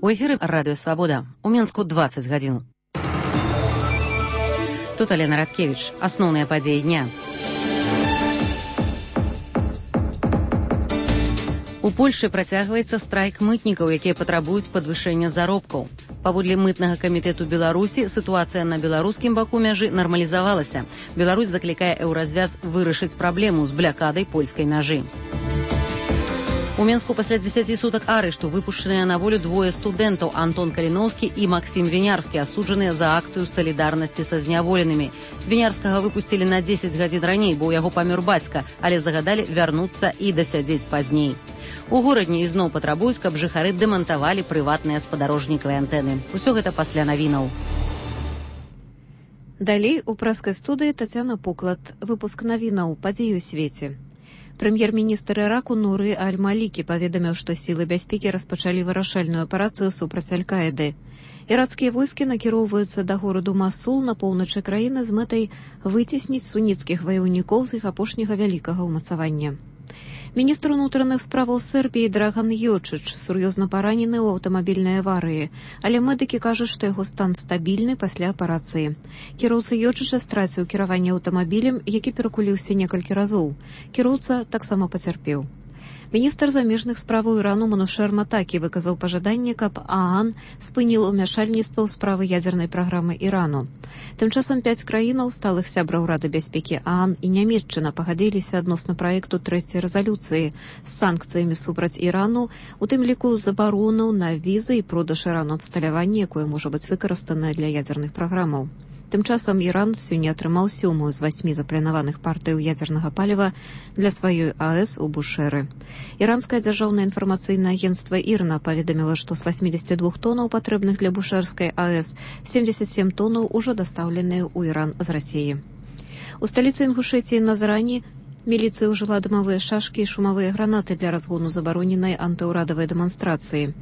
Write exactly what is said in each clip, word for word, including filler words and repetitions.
У эфіры радыё «Свабода». У Мінску дваццаць гадзін. Тут Алена Радкевіч. Асноўныя падзеі дня. У Польшы працягваецца страйк мытнікаў, якія патрабуюць падвышэння заробкаў. Паводле мытнага камітэту Беларусі, сітуацыя на беларускім баку мяжы нармалізавалася. Беларусь заклікае еўразвяз вырашыць праблему з блякадай польскай мяжы. У Мінску пасля дзесяці сутак арышту выпушчаныя на волю двое студэнтаў Антон Каліноўскі і Максім Вінярскі, асуджаныя за акцыю салідарнасці са зняволенымі. Вінярскага выпусцілі на дзесяць гадзін раней, бо ў яго памёр бацька, але загадалі вярнуцца і дасядзець пазней. У горадні ізноў патрабуюць, каб жыхары дэмантавалі прыватныя спадарожнікавыя антэны. Усё гэта пасля навінаў. Далей у праскай студыі Тацяна Поклад. Выпуск навінаў «Падзеі ў свеце». Прэм'ер-міністр Іраку Нуры Аль-Малікі паведаміў, што сілы бяспекі распачалі вырашальную аперацыю супраць Аль-Каіды. Ірацкія войскі накіроўваюцца да гораду Масул на поўначы краіны з мэтай выцесніць суніцкіх ваяўнікоў з іх апошняга вялікага ўмацавання. Міністр унутраных справаў Сербіі Драган Йочыч сур'ёзна паранены ў аўтамабільнай аварыі, але медыкі кажуць, што яго стан стабільны пасля аперацыі. Кіроўца Йочыча страціў кіраванне аўтамабілем, які перакуліўся некалькі разоў. Кіроўца таксама пацярпеў. Міністр замежных справаў Ірану Манушер Матакі выказаў пажаданне, каб ААН спыніл умяшальніцтва ў справы ядзернай праграмы Ірану. Тым часам пяць краінаў, сталых сябраў Рады бяспекі ААН і Нямецчына пагадзіліся адносна праекту трэцяй рэзалюцыі з санкцыямі супраць Ірану, у тым ліку забарону на візы і продаж Ірану абсталявання, якое можа быць выкарыстана для ядзерных праграмаў. Тым часам Іран сёння атрымаў сёмую з васьмі запланаваных партыяў ядзернага паліва для сваёй АЭС у Бушэры. Іранскае дзяржаўнае інфармацыйнае агенцтва ІРНА паведаміла, што з васьмідзесяці двух тонаў, патрэбных для бушэрскай АЭС, семдзесят сем тонаў ужо дастаўленыя ў Іран з Расіі. У сталіцы Інгушэтіі Назрані міліцыя ўжыла дымавыя шашкі і шумавыя гранаты для разгону забароненай антыўрадавай дэманстрацыі.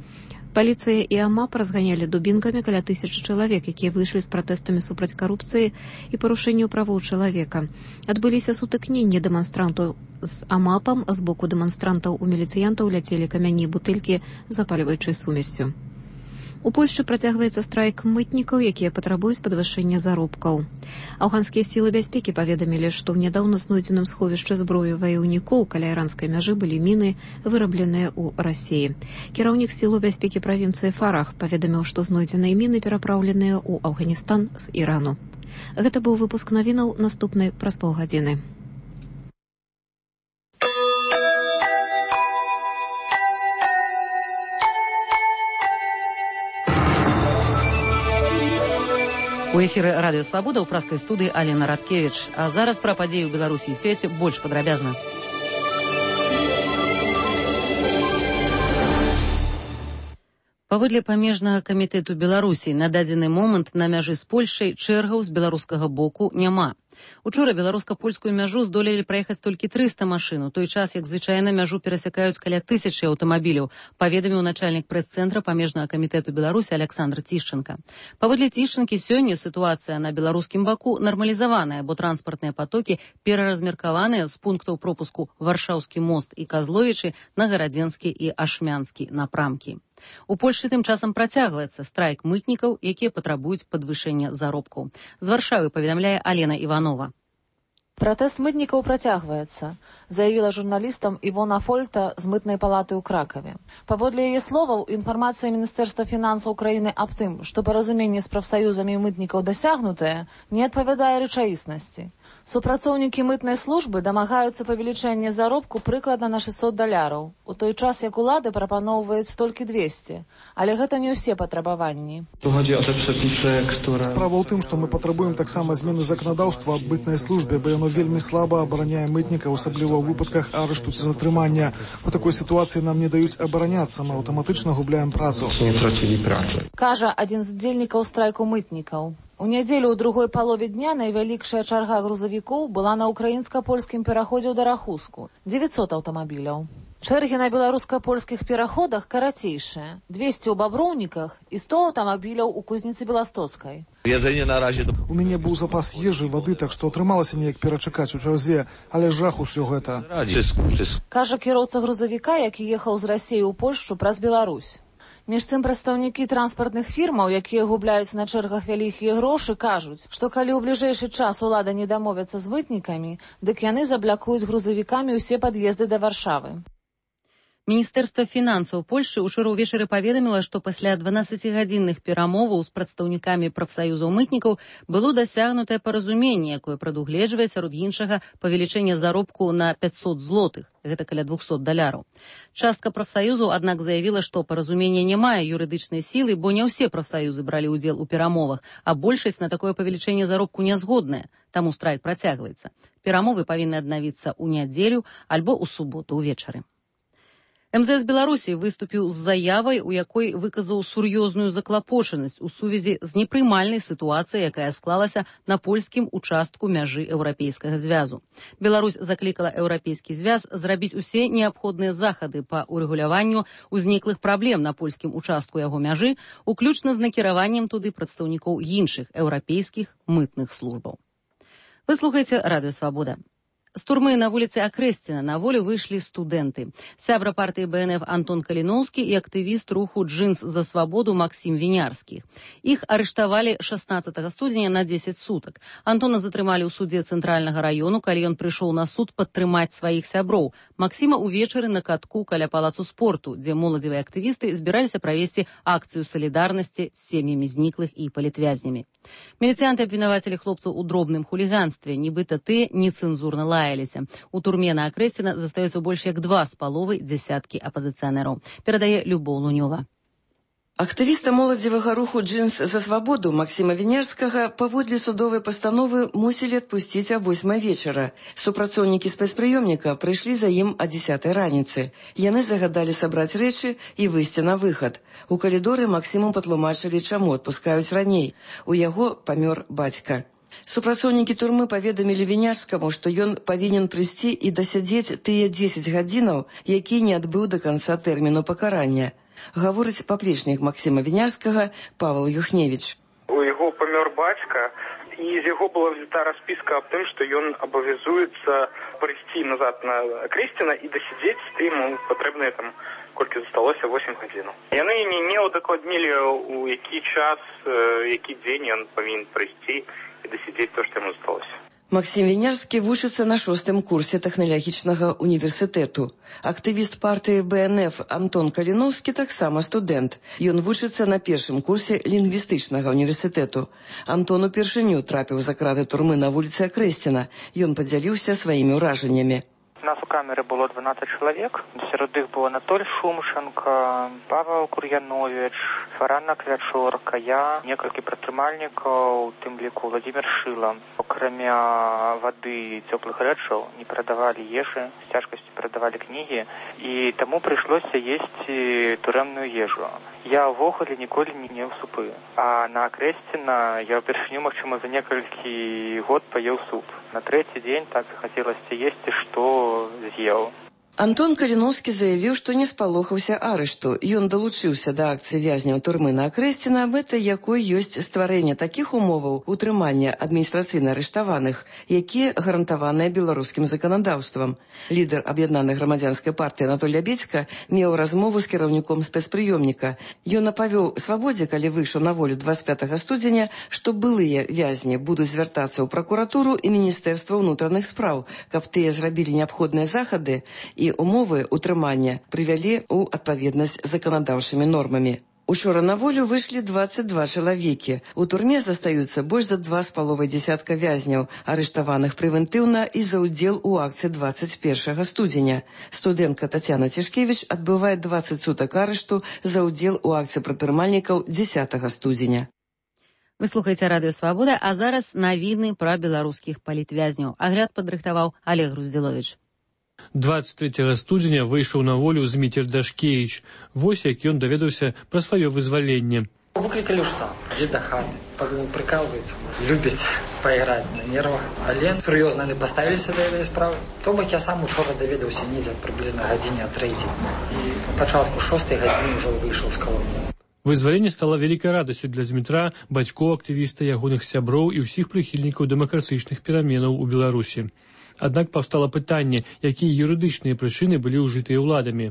Паліцыя і АМАП разганялі дубінкамі каля тысячы чалавек, якія выйшлі з пратэстамі супраць карупцыі і парушэнняў правоў чалавека. Адбыліся сутыкненні дэманстрантаў з АМАПам, з боку дэманстрантаў у міліцыянтаў ляцелі камяні і бутэлькі з запальваючай сумессю. У Польшчы працягваецца страйк мытнікаў, якія патрабуюць падвышэння заробкаў. Афганскія сілы бяспекі паведамілі, што ў нядаўна знойдзеным сховішчы зброі ваяўнікоў каля іранскай мяжы былі міны, вырабленыя ў Расіі. Кіраўнік сілаў бяспекі правінцыі Фарах паведаміў, што знойдзеныя міны перапраўленыя ў Афганістан з Ірану. Гэта быў выпуск навінаў, наступны праз паўгадзіны. У эфіры радыё «Свабода» ў праскай студыі Алена Радкевіч. А зараз пра падзеі ў Беларусі і свеце больш падрабязна. Паводле памежнага камітэту Беларусі на дадзены момант на мяжы з Польшай чэргаў з беларускага боку няма. Учора беларуска-польскую мяжу здолелі праехаць толькі трыста машын, у той час, як звычайна мяжу перасякаюць каля тысячы аўтамабіляў, паведаміў начальнік прэс-цэнтра памежнага камітэту Беларусі Александр Тішченка. Паводле Тішченкі, сёння сітуацыя на беларускім баку нармалізаваная, бо транспартныя патокі пераразмеркаваныя з пунктаў пропуску Варшаўскі мост і Казловічы на Гарадзенскі і Ашмянскі напрамкі. У Польшы тым часам працягваецца страйк мытнікаў, якія патрабуюць падвышэння заробкаў. З Варшавы паведамляе Алена Іванова. Пратэст мытнікаў працягваецца, заявіла журналістам Івона Фольта з мытнай палаты ў Кракаве. Паводле яе словаў, інфармацыя Міністэрства фінансаў краіны аб тым, што паразуменне з прафсаюзамі мытнікаў дасягнутае, не адпавядае рэчаіснасці. Супрацоўнікі мытнай службы дамагаюцца павелічэння заробку прыкладна на шэсцьсот даляраў, у той час як улады прапаноўваюць толькі двесце, але гэта не ўсе патрабаванні. Справа ў тым, што мы патрабуем таксама змены заканадаўства аб мытнай службе, бо яно вельмі слаба абараняе мытніка, асабліва ў выпадках арышту ці затрымання. У такой сітуацыі нам не даюць абараняцца, мы аўтаматычна губляем працу. Кажа адзін з удзельнікаў страйку мытнікаў. У нядзелю ў другой палове дня найвялікшая чарга грузавікоў была на ўкраінска-польскім пераходзе ў Дарахуску – дзевяцьсот аўтамабіляў. Чэргі на беларуска-польскіх пераходах карацейшыя – двесце ў Баброўніках і сто аўтамабіляў у Кузніцы Беластоцкай. У мяне быў запас ежы, вады, так што атрымалася неяк перачакаць у чарзе, але жах усё гэта. Кажа кіроўца грузавіка, які ехаў з Расіі ў Польшчу праз Беларусь. Між тым прадстаўнікі транспартных фірмаў, якія губляюць на чэргах вялікія грошы, кажуць, што калі ў бліжэйшы час улада не дамовяцца з мытнікамі, дык яны заблякуюць грузавікамі ўсе пад'езды да Варшавы. Міністэрства фінансаў Польшчы ўчора ўвечары паведаміла, што пасля дванаццацігадзінных перамоваў з прадстаўнікамі прафсаюзаў мытнікаў было дасягнутае паразуменне, якое прадугледжвае сярод іншага павелічэнне заробку на пяцьсот злотых, гэта каля двухсот даляраў. Частка прафсаюзаў, аднак, заявіла, што паразуменне не мае юрыдычнай сілы, бо не ўсе прафсаюзы бралі ўдзел у перамовах, а большасць на такое павелічэнне заробку не згодная, таму страйк працягваецца. Перамовы павінны аднавіцца ў нядзелю альбо ў суботу ўвечары. эм зэ эс Беларусі выступіў з заявай, у якой выказаў сур'ёзную заклапочанасць у сувязі з непрымальнай сітуацыяй, якая склалася на польскім участку мяжы Еўрапейскага звязу. Беларусь заклікала Еўрапейскі звяз зрабіць усе неабходныя захады па урэгуляванню ўзніклых праблем на польскім участку яго мяжы, уключна з накіраваннем туды прадстаўнікоў іншых еўрапейскіх мытных службаў. Вы слухаеце Радыё Свабода. З турмы на вуліцы Акрэсціна на волю выйшлі студэнты. Сябра партыі бэ эн эф Антон Каліноўскі і актывіст руху «Джинс за свабоду» Максім Вінярскі. Іх арыштавалі шаснаццатага студзеня на дзесяць сутак. Антона затрымалі ў судзе Цэнтральнага раёну, калі ён прыйшоў на суд падтрымаць сваіх сяброў. Максіма ўвечары на катку каля палацу спорту, дзе моладзевыя актывісты збіраліся правесці акцыю салідарнасці з сем'ямі зніклых і палітвязнямі. Міліцыянты абвінавацілі хлопцаў у дробным хуліганстве, нібыта тыя нецэнзурна лаяліся. У турме на Акрэсціна застаюцца больш як два з паловай дзясяткі апазіцыянераў. Перадае Любоў Лунёва. Актывіста моладзевага руху «Джинс за свабоду» Максіма Вінярскага паводле судовай пастановы мусілі адпусціць а восьмай вечара. Супрацоўнікі спецпрыёмніка прыйшлі за ім а дзесятай раніцы. Яны загадалі сабраць рэчы і выйсці на выхад. У калідоры Максіму патлумачылі, чаму адпускаюць раней. У яго памёр бацька. Супрацоўнікі турмы паведамілі Вінярскаму, што ён павінен прыйсці і дасядзець тыя дзесяць гадзінаў, які не адбыў да канца тэрміну пакарання. Гаворыць паплечнік Максіма Вінярскага Павел Юхневіч. У яго памёр бацька, і з яго была взята распіска аб тым, што ён абавязуецца прыйсці назад на Акрэсціна і дасядзець ему патрэбныя там колькі засталося восем гадзінаў. Яны не, не ўдакладнілі, у які час, які дзень ён павінен прыйсці і дасядзець то, што яму засталося. Максім Вінярскі вучыцца на шостым курсе тэхналагічнага універсітэту. Актывіст партыі бэ эн эф Антон Каліноўскі таксама студэнт. Ён вучыцца на першым курсе лінгвістычнага універсітэту. Антон упершыню трапіў за краты турмы на вуліцы Акрэсціна. Ён падзяліўся сваімі ўражаннямі. У нас у камеры было дванаццаць чалавек. Сярод іх было Анатоль Шумшанка, Павел Кур'яновіч, Фарана Клячорка, я, некалькі прадтрымальнікаў, у тым ліку Владимир Шыла. Акрамя вады і цёплых рэчаў не перадавалі ежы, з цяжкасцю перадавалі кнігі, і таму прыйшлося есці турэмную ежу. Я ўвогуле ніколі не еў супы. А на Акрэсціна я ўпершыню, магчыма, за некалькі год паеў суп. На трэці дзень так захацелася есці, што з'еў. Антон Каліноўскі заявіў, што не спалохаўся арышту. Ён далучыўся да акцыі вязняў турмы на Акрэсціна, мэтай якой ёсць стварэнне такіх умоваў утрымання адміністрацыйна арыштаваных, якія гарантаваныя беларускім заканадаўствам. Лідар аб'яднанай грамадзянскай партыі Анатоль Лябедзька меў размову з кіраўніком спецпрыёмніка. Ён апавёў Свабодзе, калі выйшаў на волю дваццаць пятага студзеня, што былыя вязні будуць звяртацца ў пракуратуру і Міністэрства ўнутраных спраў, каб тыя зрабілі неабходныя захады і умовы утрымання прывялі ў адпаведнасць з заканадаўчымі нормамі. Учора на волю выйшлі дваццаць два чалавекі. У турме застаюцца больш за два з паловай дзясятка вязняў, арыштаваных прэвентыўна і за ўдзел у акцыі дваццаць першага студзеня. Студэнтка Тацяна Цішкевіч адбывае дваццаць сутак арышту за ўдзел у акцыі прадпрымальнікаў дзесятага студзеня. Вы слухаеце Радыё Свабода, а зараз навіны пра беларускіх палітвязняў. Агляд падрыхтаваў Олег Груздзіловіч. дваццаць трэцяга студзеня выйшаў на волю Зміцер Дашкевіч. Вось як ён даведаўся пра сваё вызваленне. Выклікалі ж сам, ідзе да хаты, прыкалваецца, любіць пайграць на нервах. Але сур'ёзна не паставіліся да гэтай справы. То бок я сам учора даведаўся недзе прыблізна гадзіне а трэцяй. І на пачатку шостай гадзіны ўжо выйшаў з калоніі. Вызваленне стала вялікай радасцю для Змітра, бацькоў актывіста, ягоных сяброў і ўсіх прыхільнікаў дэмакратычных пераменаў у Беларусі. Аднак паўстала пытанне, якія юрыдычныя прычыны былі ўжытыя ўладамі.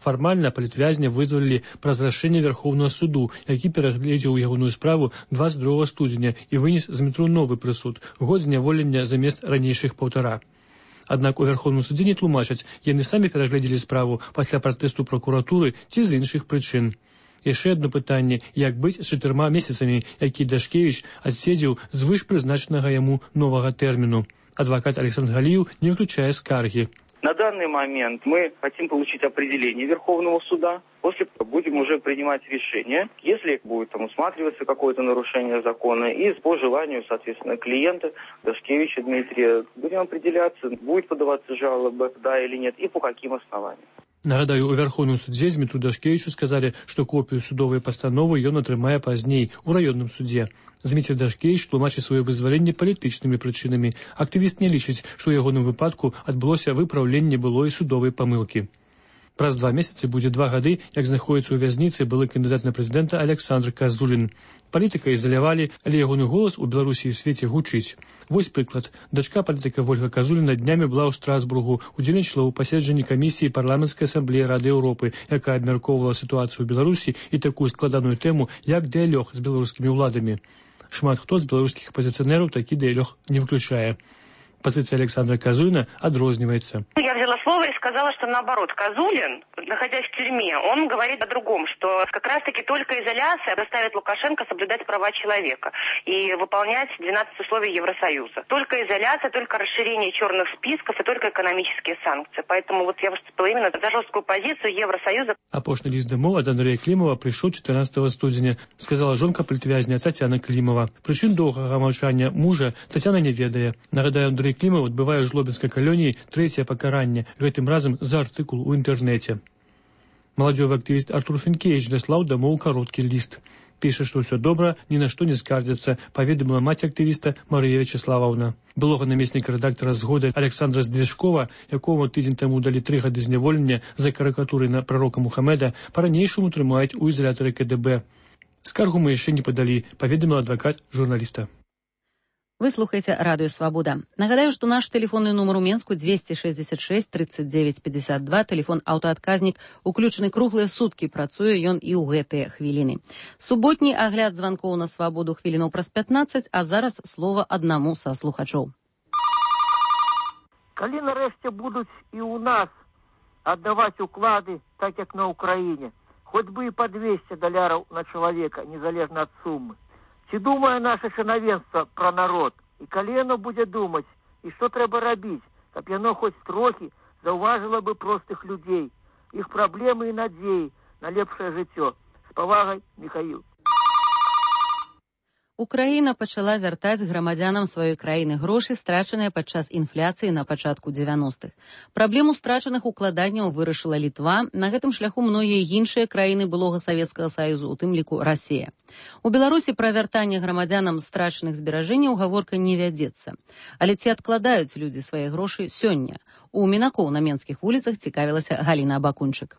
Фармальна палітвязня вызвалілі праз рашэнне Верховнага суду, які перагледзеў ягоную справу двадцать другого студзеня і вынес з метро новы прысуд – год зняволення замест ранейшых паўтара. Аднак у Верховным судзе не тлумачаць, яны самі перагледзелі справу пасля пратэсту пракуратуры ці з іншых прычын. Яшчэ одно пытанне, як быць з чатырма месяцамі, які Дашкевіч адседзеў звыш прызначанага яму новага тэрміну. Адвокат Александр Галиев не выключая скарги. На данный момент мы хотим получить определение Верховного суда. После будем уже принимать решение, если будет там усматриваться какое-то нарушение закона, и по желанию, соответственно, клиента Дашкевича Дмитрия будем определяться, будет подаваться жалоба, да или нет, и по каким основаниям. Нагадаю, у Верховным судзе Змітру Дашкевічу сказалі, што копію судовай пастановы ён атрымае пазней у раённым судзе. Зміцер Дашкевіч тлумачыць сваё вызваленне палітычнымі прычынамі. Актывіст не лічыць, што ў ягоным выпадку адбылося выпраўленне былой судовай памылкі. Праз два месяцы будзе два гады, як знаходіцца ў вязніцы былы кандыдат на прэзідэнта Александр Казулін. Палітыка ізалявалі, але ягоны голас у Беларусі і свеце гучыць. Вось прыклад. Дачка палітыка Вольга Казуліна днямі была ў Страсбургу, удзельнічала ў паседжанні камісіі парламенцкай асамблеі Рады Еўропы, якая абмяркоўвала сітуацыю ў Беларусі і такую складаную тэму, як дыялог з беларускімі ўладамі. Шмат хто з беларускіх апозіцыянераў такі дыялог не выключае. Позиция Александра Казулина отрознивается. Я взяла слово и сказала, что наоборот, Казулин, находясь в тюрьме, он говорит о другом, что как раз-таки только изоляция заставит Лукашенко соблюдать права человека и выполнять двенадцать условий Евросоюза. Только изоляция, только расширение черных списков и только экономические санкции. Поэтому вот я выступила именно за жесткую позицию Евросоюза. Апошні ліст дамоў ад Андрэя Клімова прыйшоў чатырнаццатага студзеня, сказала жонка палітвязня Тацяна Клімова. Прычын доўгага маўчання мужа Тацяна не ведае. Нагадаю, Андрей Клімов адбывае ў жлобінскай калоніі трэцяе пакаранне, гэтым разам за артыкул у інтэрнэце. Маладзёвы актывіст Артур Фінкевіч даслаў дамоў кароткі ліст. Піша, што ўсё добра, ні на што не скардзяцца, паведаміла маці актывіста Марыя Вячеславаўна. Былога намесніка рэдактара «Згоды» Александра Здвижкова, якому тыдзень таму далі тры гады зняволення за карыкатуры на прарока Мухаммеда, па-ранейшаму трымаюць у ізалятары ка дэ бэ. Скаргу мы яшчэ не падалі, паведаміла адвакат журналіста. Вы слухаеце радыё «Свабода». Нагадаю, што наш тэлефонны нумар у Менску двести шестьдесят шесть тридцать девять пятьдесят два, тэлефон аўтаадказнік, уключаны круглыя суткі, працуе ён і ў гэтыя хвіліны. Суботні агляд званкоў на «Свабоду» хвілінаў праз пятнаццаць, а зараз слова аднаму са слухачоў. Калі нарэшце будуць і ў нас аддаваць уклады, так як на Украіне, хоць бы і па двести даляраў на чалавека, незалежна ад сумы. Ці думае наша чынавенства пра народ? І калі яно будзе думаць, і што трэба рабіць, каб яно хоць трохі заўважыла бы простых людзей, іх праблемы і надзеі на лепшае жыццё. З павагай, Міхаіл. Украіна пачала вяртаць грамадзянам сваёй краіны грошы, страчаныя падчас інфляцыі на пачатку дзевяностых. Праблему страчаных укладанняў вырашыла Літва, на гэтым шляху многія іншыя краіны былога Савецкага Саюзу, у тым ліку Расія. У Беларусі пра вяртанне грамадзянам страчаных зберажэнняў гаворка не вядзецца. Але ці адкладаюць людзі свае грошы сёння? У мінакоў на менскіх вуліцах цікавілася Галіна Абакунчык.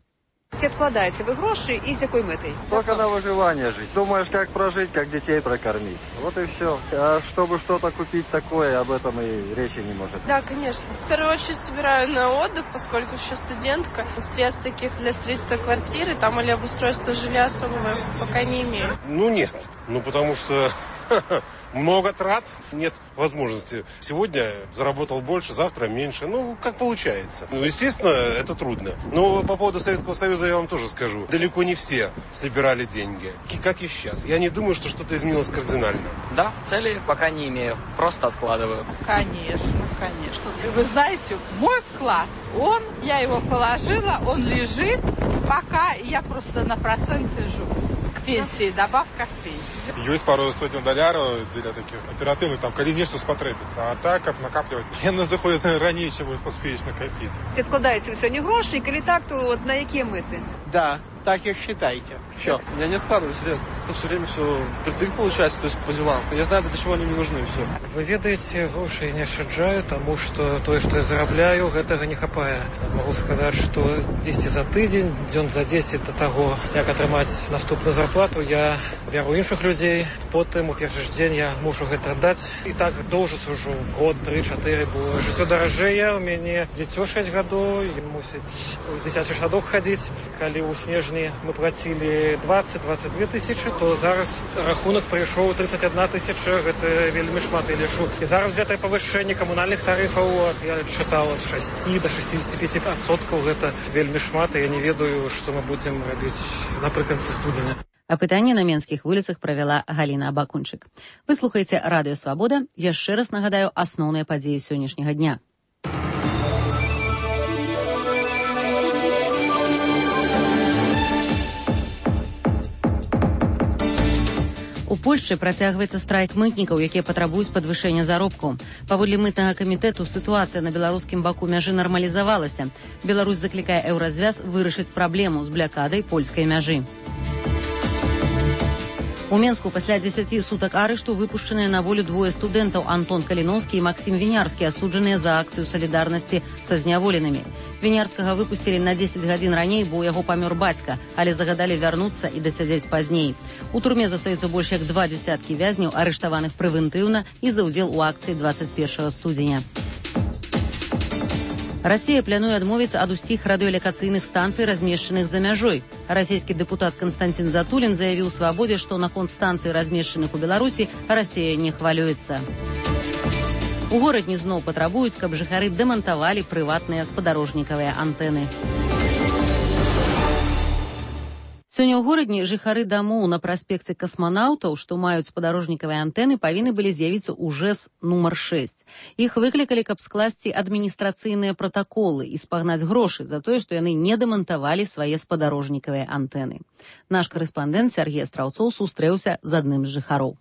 Ці откладаете вы гроши и с какой метой? Только на выживание жить. Думаешь, как прожить, как детей прокормить. Вот и все. А чтобы что-то купить такое, об этом и речи не может. Да, конечно. В первую очередь собираю на отдых, поскольку еще студентка. Средств таких для строительства квартиры там или обустройства жилья особого пока не имею. Ну нет. Ну потому что много трат, нет возможности. Сегодня заработал больше, завтра меньше. Ну, как получается. Ну, естественно, это трудно. Но по поводу Советского Союза я вам тоже скажу. Далеко не все собирали деньги, как и сейчас. Я не думаю, что что-то изменилось кардинально. Да, цели пока не имею, просто откладываю. Конечно, конечно. Вы знаете, мой вклад, он, я его положила, он лежит, пока я просто на проценты живу. Пенсии, добавка к пенсии. Есть пару сотен доляров для таких оперативных, там, коли нечто спотребится. А так, как накапливать, яны заходят раньше, чем вы успеешь накопить. Ці откладаете вы сьогодні гроші, і коли так, то от на які мети? Да, так и считайте. Все. Я не откладываю, серьезно. Это все время все притык получается, то есть по делам. Я знаю, для чего они мне нужны, все. Вы ведаете, гроши не шаджаю, тому что то, что я зарабляю, гэтага не хапае. Могу сказать, что десять за тыдзень, дзён за десять до того, як атрымаць наступную зарплату, я бяру іншых людзей. Потым у першы ж дзень я мушу гэта аддаць. І так доўжыцца ўжо год, тры, чатыры, бо жыццё даражэе. У мяне дзіцё шэсць гадоў, і мусіць у дзіцячы садок хадзіць. Калі ў снежні мы плацілі двадцать - двадцать две тысячи, то зараз рахунак прыйшоў тридцать одна тысяча. Гэта вельмі шмат, я лічу. І зараз гэтае павышэнне камунальных тарыфаў, я чытаў ад шасці до шестидесяти пяти процентов, гэта вельмі шмат, і я не ведаю, што мы будзем рабіць напрыканцы студзеня. Апытанне на менскіх вуліцах правяла Галіна Абакунчык. Вы слухаеце Радыё Свабода. Яшчэ раз нагадаю асноўныя падзеі сённяшняга дня. У Польшчы працягваецца страйк мытнікаў, якія патрабуюць падвышэння заробкаў. Паводле мытнага камітэту сітуацыя на беларускім баку мяжы нармалізавалася. Беларусь заклікае еўразвяз вырашыць праблему з блякадай польскай мяжы. У Менску пасля дзесяці сутак арышту выпушчаныя на волю двое студэнтаў Антон Каліноўскі і Максім Вінярскі, асуджаныя за акцыю салідарнасці са зняволенымі. Вінярскага выпусцілі на дзесяць гадзін раней, бо ў яго памёр бацька, але загадалі вярнуцца і дасядзець пазней. У турме застаюцца больш як два дзесяткі вязняў, арыштаваных прэвентыўна і за ўдзел у акцыі двадцать першага студзеня. Расія плануе адмовіцца ад усіх радыёлакацыйных станцый, размешчаных за мяжой. Расійскі дэпутат Канстантин Затулін заявіў Свабодзе, што наконт станцый, размешчаных у Беларусі, Расія не хвалюецца. У горадні зноў патрабуюць, каб жыхары дэмантавалі прыватныя спадарожнікавыя антэны. Сёння ў горадні жыхары дамоў на праспекце касманаўтаў, што маюць спадарожнікавыя антэны, павінны былі з'явіцца ў ЖЭС нумар шэсць. Іх выклікалі, каб скласці адміністрацыйныя пратаколы і спагнаць грошы за тое, што яны не дэмантавалі свае спадарожнікавыя антэны. Наш карэспандэнт Сергей Страўцоў сустрэўся з адным з жыхароў.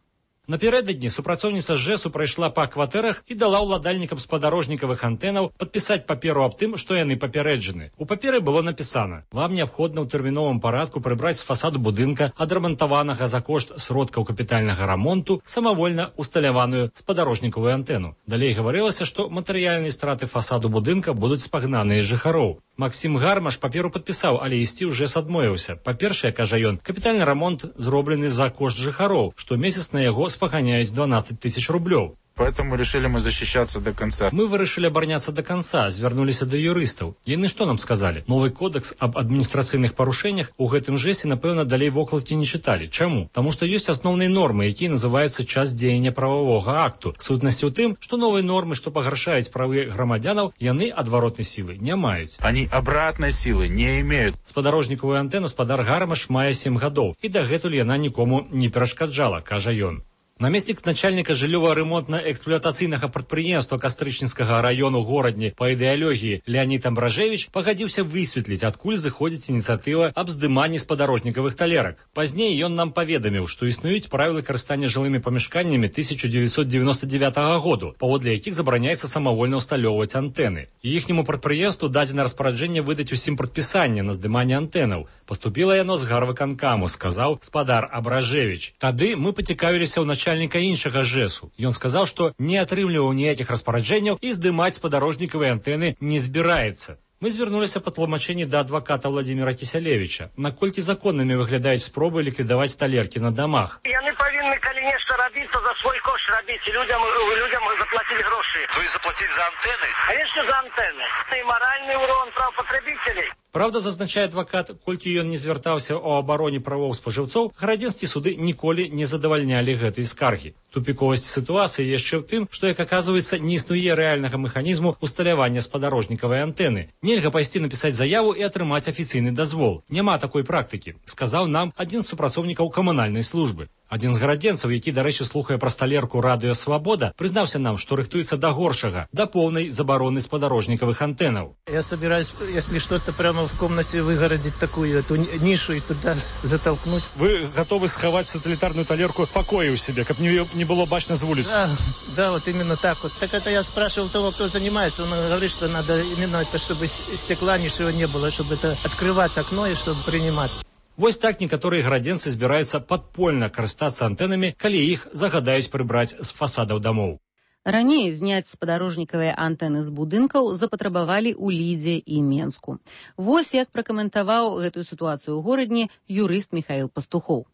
Напярэдадні супрацоўніца ЖЭСу прайшла па кватэрах і дала ўладальнікам спадарожнікавых антэнаў падпісаць паперу аб тым, што яны папярэджаны. У паперы было напісана: вам неабходна ў тэрміновым парадку прыбраць з фасаду будынка, адрамантаванага за кошт сродкаў капітальнага рамонту, самавольна усталяваную спадарожнікавую антэну. Далей гаварылася, што матэрыяльныя страты фасаду будынка будуць спагнаныя з жыхароў. Максім Гармаш паперу падпісаў, але ісці ў ЖЭС адмовіўся. Па-першае, кажа ён, капітальны рамонт зроблены за кошт жыхароў, што месяц на яго спаганяюць дванадцать тысяч рублёў. Поэтому решили мы защищаться до конца. Мы вырашылі абараняцца до конца, звярнуліся да юрыстаў. Яны што нам сказалі? Новы кодекс аб адміністрацыйных парушэннях у гэтым жэсе, напэўна, далей вокладкі не чыталі. Чаму? Таму што ёсць асноўныя нормы, якія называюцца час дзеяння прававога акту. Сутнасць у тым, што новыя нормы, што пагаршаюць правы грамадзянаў, яны адваротнай сілы не маюць. Они обратной силы не имеют. Спадарожнікавую антэну спадар Гармаш мае сем гадоў, і дагэтуль яна нікому не перашкаджала, кажа ён. Намеснік начальніка жыллёва-ремонтна-эксплуатацыйнага прадпрыемства Кастрычніцкага раёну горадні па ідэалогіі Леонід Амбражевіч пагадзіўся высветліць, адкуль зыходзіць ініцыятыва аб здыманні спадарожнікавых талерак. Пазней ён нам паведаміў, што існуюць правілы карыстання жылымі памяшканнямі тысяча девятьсот девяносто девятого году, паводле якіх забараняецца самавольна ўсталёўваць антэны. Іхняму прадпрыемству дадзена распараджэнне выдаць усім прадпісанне на здыманне антэнаў. Паступіла яно з гарвыканкаму, сказаў спадар Абражевіч. Тады мы пацікавіліся ў начальніка начальніка іншага ЖЭСу. Ён сказаў, што не атрымліваў ніякіх распараджэнняў і здымаць спадарожнікавыя антэны не збіраецца. Мы звярнуліся па тлумачэнні да адваката Владзіміра Кісялевіча. Наколькі законнымі выглядаюць спробы ліквідаваць талеркі на дамах? Яны павінны калі нешта рабіцца за свой кошт рабіць, і людзям, людзям заплаціць грошы. То есть заплаціць за антэны? Конечно, за антэны. І маральны урон прав патрабіцелей. Правда, зазначае адвакат, колькі ён не звяртаўся ў абароне правоў спажыўцоў, гарадзенскія суды ніколі не задавальнялі гэтай скаргі. Тупіковасць сітуацыі яшчэ ў тым, што, як аказваецца, не існуе рэальнага механізму усталявання спадарожнікавай антэны. Нельга пайсці напісаць заяву і атрымаць афіцыйны дазвол. Няма такой практыкі, сказаў нам адзін з супрацоўнікаў камунальнай службы. Адзін з гарадзенцаў, які, дарэчы, слухае пра сталерку Радыё Свабода, прызнаўся нам, што рыхтуецца да горшага, да поўнай забароны спадарожнікавых антэнаў. Я собираюсь, если что-то прямо в комнате выгородить такую эту нишу и туда затолкнуть. Вы готовы сховать сателлитарную талерку в покое у себя, как не, не было бачно с улицы? Да, да, вот именно так вот. Так это я спрашивал того, кто занимается, он говорит, что надо именно это, чтобы стекла ничего не было, чтобы это открывать окно и чтобы принимать. Вось так некаторыя гарадзенцы збіраюцца падпольна карыстацца антэнамі, калі іх загадаюць прыбраць з фасадаў дамоў. Раней зняць спадарожнікавыя антэны з будынкаў запатрабавалі ў Лідзе і Менску. Вось як пракаментаваў гэтую сітуацыю ў горадні юрыст Михаил Пастухоў.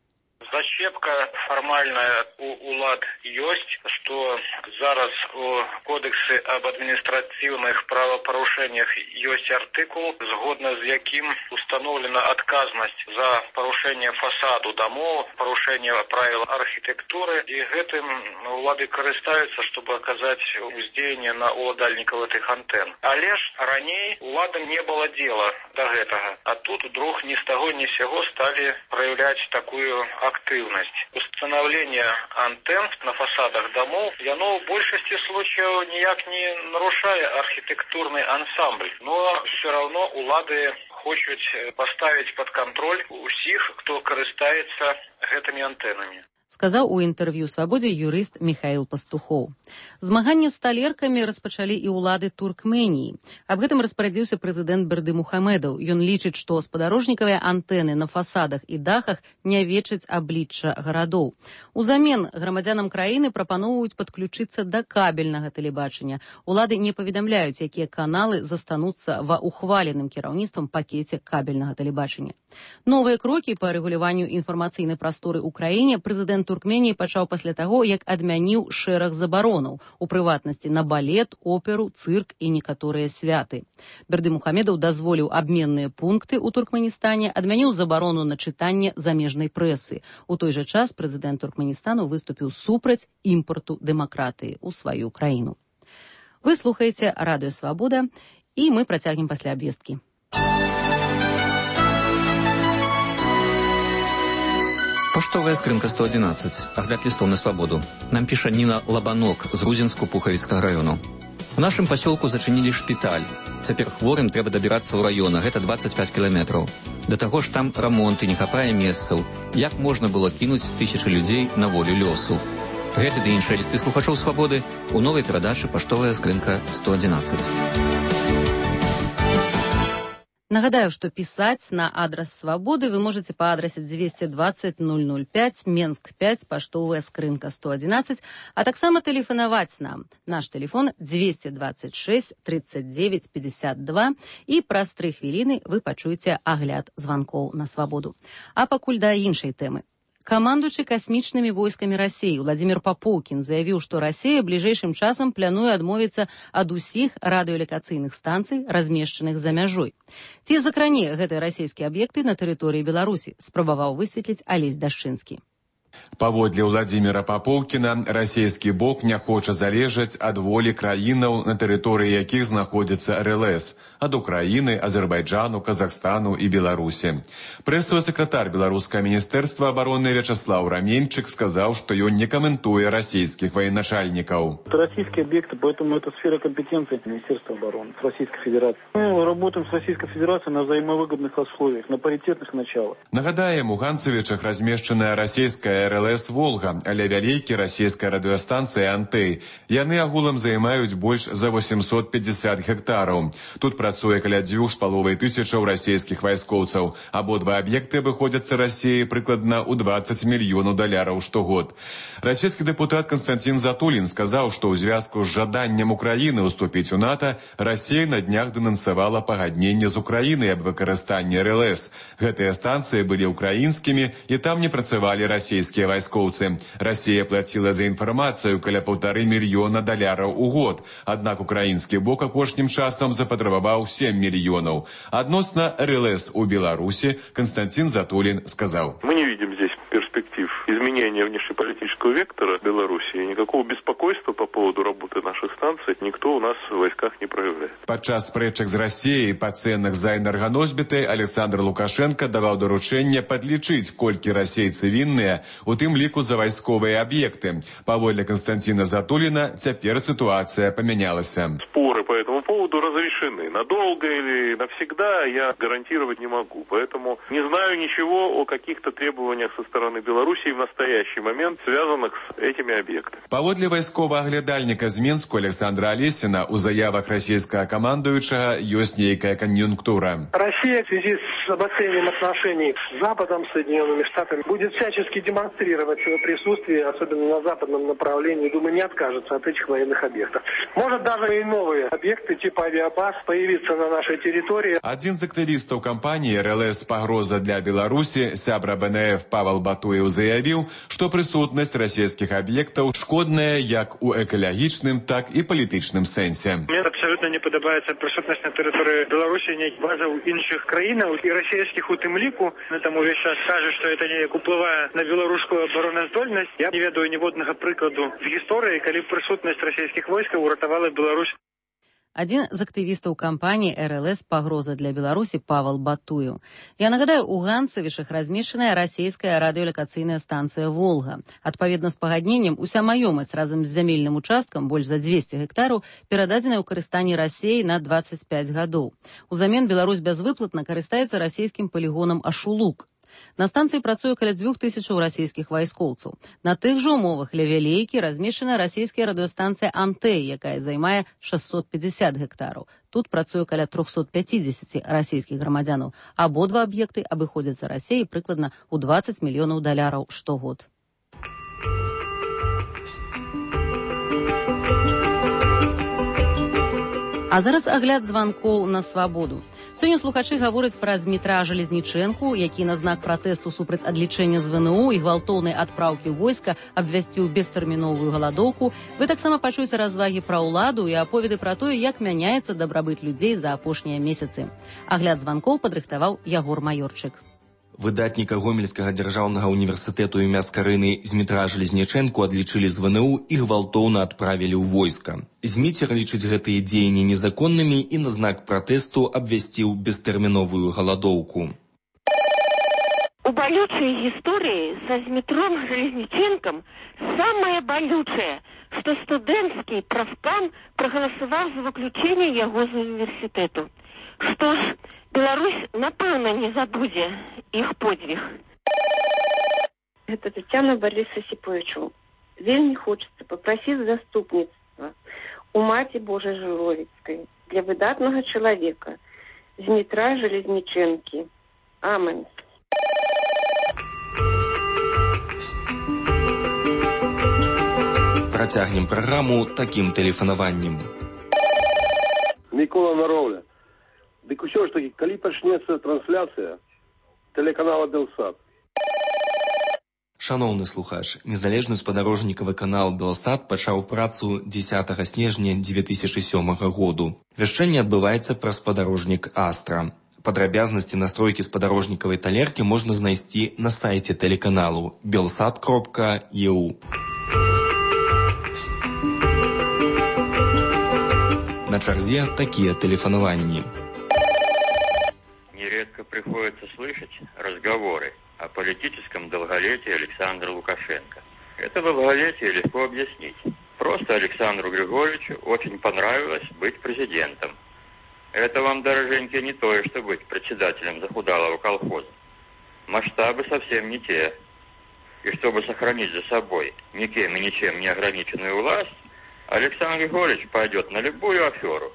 Зачепка фармальная у улад ёсць, што зараз у кодексе об адміністрацыйных правапарушэннях ёсць артыкул, згодна з якім установлена адказнасць за парушэнне фасаду дамоў, парушэнне правил архітэктуры, і гэтым улады карыстаюцца, чтобы аказаць уздзеянне на уладальнікаў этих антэн. Але ж раней уладам не было дела до гэтага, а тут вдруг ни с того ни с сего стали проявлять такую активность. Установление антенн на фасадах домов, оно в большинстве случаев никак не нарушая архитектурный ансамбль, но все равно улады хочут поставить под контроль усіх, кто користается этими антеннами. Сказаў у інтэрв'ю «Свабодзе» юрыст Михаил Пастухоў. Змаганне з талеркамі распачалі і ўлады Туркменіі. Аб гэтым распарадзіўся прэзідэнт Бердымухамедаў. Ён лічыць, што спадарожнікавыя антэны на фасадах і дахах не вечаць аблічча гарадоў. Узамен грамадзянам краіны прапаноўваюць падключыцца да кабельнага тэлебачання. Улады не паведамляюць, якія каналы застануцца ва ухваленым кіраўніцтвам пакеце кабельнага тэлебачання. Новыя крокі па рэгуляванню інфармацыйнай прасторы ў краіне прэзідэнт Туркменіі пачаў пасля таго, як адмяніў шэраг забаронаў, у прыватнасці на балет, оперу, цырк і некаторыя святы. Бердымухамедаў дазволіў абменныя пункты ў Туркменістане, адмяніў забарону на чытанне замежнай прэсы. У той жа час прэзідэнт Туркменістану выступіў супраць імпарту дэмакратыі ў сваю краіну. Вы слухаеце радыё «Свабода», і мы працягнем пасля абвесткі. Поштовая скрынка сто одиннадцать. Огляд листов на свободу. Нам піша Ніна Лабанок з Грузінску-Пухавіцкага району. У нашым пасёлку зачынілі шпіталь. Цяпер хворым трэба дабірацца ў раён, а гэта двадцать пять кіламетраў. Да таго ж там рамонт і не хапае месцаў. Як можна было кінуць тысячы людзей на волю лёсу? Гэты ды іншыя лісты слухачоў свабоды у новай перадачы «Поштовая скрынка сто одиннадцать». Нагадаю, што пісаць на адрас «Свабоды» вы можете по адрасе двести двадцать ноль ноль пять, Менск пять, поштовая скрынка сто одиннадцать, а таксама тэлефанаваць нам. Наш телефон двести двадцать шесть тридцать девять пятьдесят два, і праз тры хвіліны вы пачуеце агляд званкоў на «Свабоду». А пакуль да іншай тэмы. Камандуючы касмічнымі войскамі Расіі Владзімір Папоўкін заявіў, што Расія бліжэйшым часам плануе адмовіцца ад усіх радыёлакацыйных станцый, размешчаных за мяжой. Ці закране гэтыя расійскія аб'екты на тэрыторыі Беларусі, спрабаваў высветліць Алесь Дашчынскі. Паводле Владзіміра Папоўкіна, расійскі бок не хоча залежаць ад волі краінаў, на тэрыторыі якіх знаходзіцца эр эл эс, ад Украіны, Азербайджану, Казахстану і Беларусі. Прэсавы сакратар Беларускага міністэрства абароны Вячаслав Раменчык сказаў, што ён не каментуе расійскіх военачальнікаў. Это российские объекты, поэтому это сфера компетенции Министерства обороны Российской Федерации. Мы работаем с Российской Федерацией на взаимовыгодных условиях, на паритетных началах. Нагадаем, у Ганцевічах размешчаная расійская эр эл эс «Волга», але вялікі расійская радыёстанцыя «Антэй». Яны агулам займаюць больш за восемьсот пятьдесят гектараў. Тут працуе каля дзвюх з паловай тысячаў расійскіх вайскоўцаў. Абодва аб'екты абыходзяцца Расіі прыкладна ў двадцать мільёнаў даляраў штогод. Расійскі дэпутат Константин Затулин сказаў, што ў звязку з жаданнем Украіны ўступіць у НАТО, Расія на днях дэнансавала пагадненне з Украінай аб выкарыстанні эр эл эс. Гэтыя станцыі былі украінскімі, і там не працавалі расійскія вайскоўцы. Расія плаціла за інфармацыю каля паўтары мільёна даляраў у год. Аднак украінскі бок апошнім часам запатрабаваў сем мільёнаў. Адносна эр эл эс у Беларусі Константин Затулин сказаў: Мы не видим здесь перспектив изменения внешнеполитического вектора Беларуси. Никакого беспокойства по поводу работы наших станций никто у нас в войсках не проявляет. Падчас спрэчак з Расіяй па цэнах за энерганосьбіты Александр Лукашенко даваў даручэнне падлічыць, колькі расейцы вінныя, у тым ліку за вайсковыя аб'екты. Паводле Константина Затулина, цяпер ситуация поменялася. Споры по этому поводу разрешены. решены. Надолго или навсегда я гарантировать не могу. Поэтому не знаю ничего о каких-то требованиях со стороны Беларуси в настоящий момент, связанных с этими объектами. Паводле вайсковага аглядальніка з Мінску Александра Олесина, у заявах расійскага камандуючага ёсць нейкая конъюнктура. Россия в связи с обострением отношений с Западом, Соединенными Штатами, будет всячески демонстрировать свое присутствие, особенно на западном направлении. Думаю, не откажется от этих военных объектов. Может даже и новые объекты типа авиабаз появиться на нашей территории. Один з актывістаў кампаніі эр эл эс «Пагроза для Беларусі», сябра бэ эн эф Павел Батуев заявіў, што прысутнасць расійскіх аб'ектаў шкодная як у экалагічным, так і палітычным сэнсе. Мне абсолютно не падабаецца прысутнасць на тэрыторыі Беларусі нейкіх базаў іншых краінаў і расійскіх у тым ліку. Там увесь час кажа, што это неяк уплывае на беларускую абароназдольнасць. Я не ведаю ніводнага прыкладу з гісторыі, калі прысутнасць расійскіх войскаў уратавала Беларусь. Один з активістаў кампанії эр эл эс «Пагроза для Беларусі» Павел Батуев. Я нагадаю, у Ганцевішах размешчаная расійская радыёлакацыйная станцыя «Волга». Адпаведна з пагадненнем, уся маёмасць разам з зямельным участкам, больш за дзвесце гектараў, перададзеная ў карыстанні Расіі на дваццаць пяць гадоў. Узамен Беларусь бязвыплатна карыстаецца расійскім палігонам Ашулук. На станцыі працуе каля дзвюх тысячаў расійскіх вайскоўцаў. На тых жа умовах ля Вялейкі размешчана расійская радыёстанцыя «Антэй», якая займае шэсцьсот пятьдесят гектараў. Тут працуе каля трохсот пяцідзесяці расійскіх грамадзянаў. Абодва аб'екты абыходзяцца Расіі прыкладна ў дваццаць мільёнаў даляраў штогод. А зараз агляд званкоў на свабоду. Сёння слухачы гавораць пра Змітра Жалезнічэнку, які на знак пратэсту супраць адлічэння з вэ эн у і гвалтоўнай адпраўкі войска абвясціў бестэрміновую галадоўку. Вы таксама пачуеце развагі пра ўладу і аповеды пра тое, як мяняецца дабрабыт людзей за апошнія месяцы. Агляд званкоў падрыхтаваў Ягор Маёрчык. Выдатніка Гомельскага дзяржаўнага універсітэту імя Скарыны Змітра Жалезнічэнку адлічылі з вэ эн у і гвалтоўна адправілі ў войска. Зміцер лічыць гэтыя дзеянні незаконнымі і на знак пратэсту абвясціў бестэрміновую галадоўку. У балючай гісторыі са Змітром Жалезнічэнкам самае балючае, што студэнцкі прафкам прагаласаваў за выключэнне яго з універсітэту. Што ж, Беларусь, напэўна, не забудзе іх подвиг. Это Татьяна Бориса Сиповичу. Вельми хочется попросить заступництва у Маті Божай Жировицкой для выдатного человека Змітра Жалезнічэнкі. Амен. Працягнем праграму такім тэлефанаваннем. Микола Наровля. Дык усё ж таки, калі пачнецца трансляцыя тэлеканала Белсат. Шановны слухач, незалежны спадарожнікавы канал Белсат пачаў працу дзесятага снежня дзве тысячы сёмага году. Вяшчанне адбываецца праз спадарожнік Астра. Падрабязнасці настройкі спадарожнікавай талеркі можна знайсці на сайце тэлеканалу белсат кропка е у. На чарзе такія тэлефанаванні. Нередко приходится слышать разговоры о политическом долголетии Александра Лукашенко. Это долголетие легко объяснить. Просто Александру Григорьевичу очень понравилось быть президентом. Это вам, дороженьки, не то, что быть председателем захудалого колхоза. Масштабы совсем не те. И чтобы сохранить за собой никем и ничем не ограниченную власть, Александр Григорьевич пойдет на любую аферу.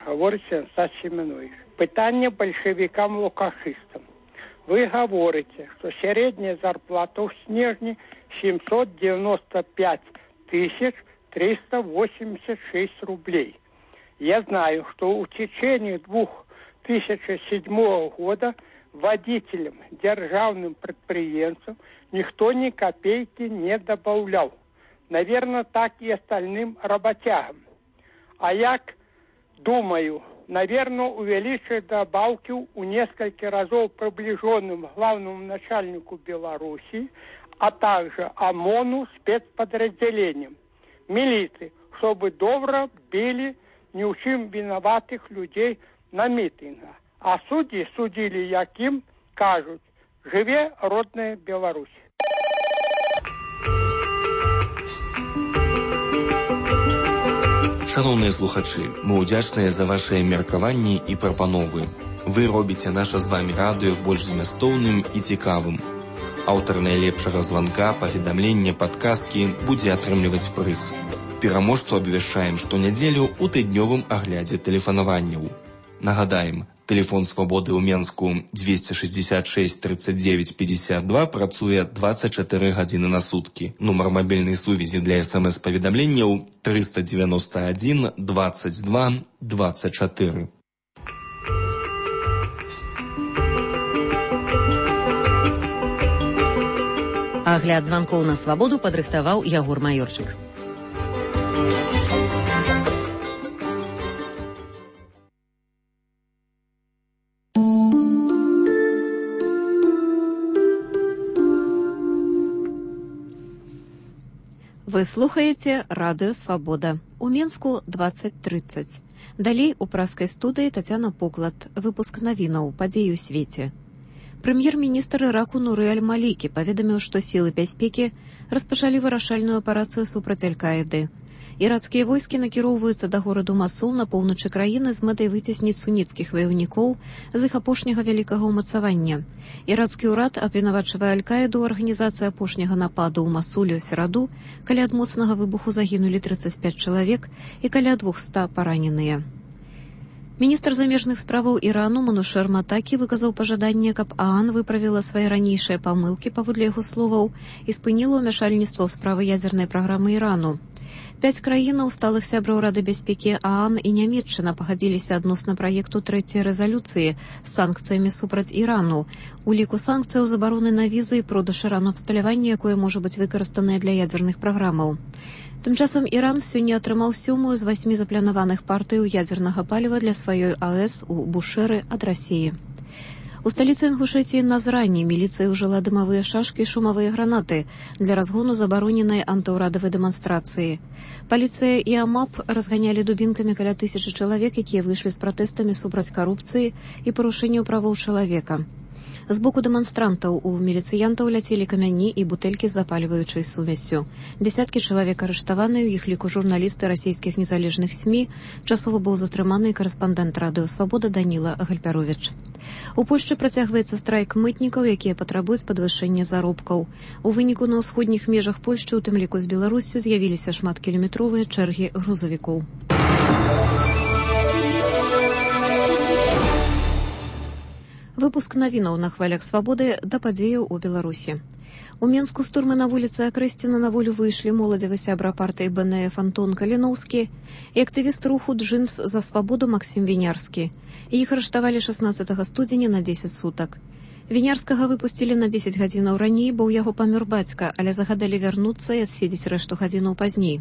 Говорите, Стас Семенович. Питання большевикам-лукашистам. Вы говорите, что средняя зарплата в снежне семьсот девяносто пять тысяч триста восемьдесят шесть рублей. Я знаю, что в течение две тысячи седьмого года водителям, державным предприятиям никто ни копейки не добавлял. Наверное, так и остальным работягам. А я думаю, наверное, увеличить добавки у несколько разов приближенным главному начальнику Беларуси, а также ОМОНу спецподразделениям, милиции, чтобы добро били ни в чем виноватых людей на митингах. А судьи судили, яким кажут, живе родная Беларусь. Шановныя слухачы, мы ўдзячныя за вашыя меркаванні і прапановы. Вы робіце наша з вамі радыё больш змястоўным і цікавым. Аўтар найлепшага званка, паведамлення, падказкі будзе атрымліваць прыз. Пераможцу абвяшчаем штонядзелю ў тыднёвым аглядзе тэлефанаванняў. Нагадаем, тэлефон свабоды ў Менску двести шестьдесят шесть тридцать девять пятьдесят два працуе двадцать четыре гадзіны на суткі. Нумар мабільнай сувязі для смс-паведамленняў триста девяносто один двадцать два двадцать четыре. Агляд званкоў на свабоду падрыхтаваў Ягор Маёрчык. Вы слухаеце радыё «Свабода». У Менску двадцать тридцать. Далей у праскай студыі Тацяна Поклад. Выпуск навінаў, падзеі ў свеце. Прэм'ер-міністр Іраку Нуры Аль-Малікі паведаміў, што сілы бяспекі распачалі вырашальную аперацыю супраць Аль-Каіды. Ірацкія войскі накіроўваюцца да гораду Масул на поўначы краіны з мэтай выцесніць суніцкіх ваяўнікоў з іх апошняга вялікага ўмацавання. Ірацкі ўрад абвінавачвае Аль-Каіду ў арганізацыі апошняга нападу ў Масуле ў сераду, каля ад моцнага выбуху загінулі тридцать пять чалавек і каля двухсот параненыя. Міністр замежных справаў Ірану Манушер Матакі выказаў пажаданне, каб ААН выправіла свае ранейшыя памылкі, паводле яго словаў, і спыніла ўмяшальніцтва ў справы ядзернай праграмы Ірану. Пяць краінаў сталых сяброў Рады бяспекі ААН і Нямецчына пагадзіліся адносна праекту трэцяй рэзалюцыі з санкцыямі супраць Ірану. У ліку санкцыяў забароны на візы і продаж Ірану абсталявання, якое можа быць выкарыстанае для ядзерных праграмаў. Тым часам Іран сёння атрымаў сёмую з васьмі запланаваных партыяў ядзернага паліва для сваёй АЭС у Бушэры ад Расіі. У сталіцы Інгушэтіі Назрані міліцыя ўжыла дымавыя шашкі і шумавыя гранаты для разгону забароненай антыўрадавай дэманстрацыі. Паліцыя і АМАП разганялі дубінкамі каля тысячы чалавек, якія выйшлі з пратэстамі супраць карупцыі і парушэнняў правоў чалавека. З боку дэманстрантаў у міліцыянтаў ляцелі камяні і бутэлькі з запальваючай сумессю. Дзясяткі чалавек арыштаваны, у іх ліку журналісты расійскіх незалежных СМІ, часова быў затрыманы карэспандэнт радыё «Свабода» Даніла Гальпяровіч. У Польшчы працягваецца страйк мытнікаў, якія патрабуюць падвышэння заробкаў. У выніку на ўсходніх межах Польшчы, у тым ліку з Беларуссю, з'явіліся шматкіламетровыя чэргі грузавікоў. Выпуск навінаў на хвалях свабоды да падзеяў у Беларусі. У Менску з турмы на вуліцы Акрэсціна на волю выйшлі моладзевы сябра партыі БНФ Антон Каліноўскі і актывіст руху «Джинс за свабоду» Максім Вінярскі. Іх арыштавалі шаснаццатага студзеня на дзесяць сутак. Вінярскага выпусцілі на дзесяць гадзінаў раней, бо ў яго памёр бацька, але загадалі вярнуцца і адседзець рэшту гадзінаў пазней.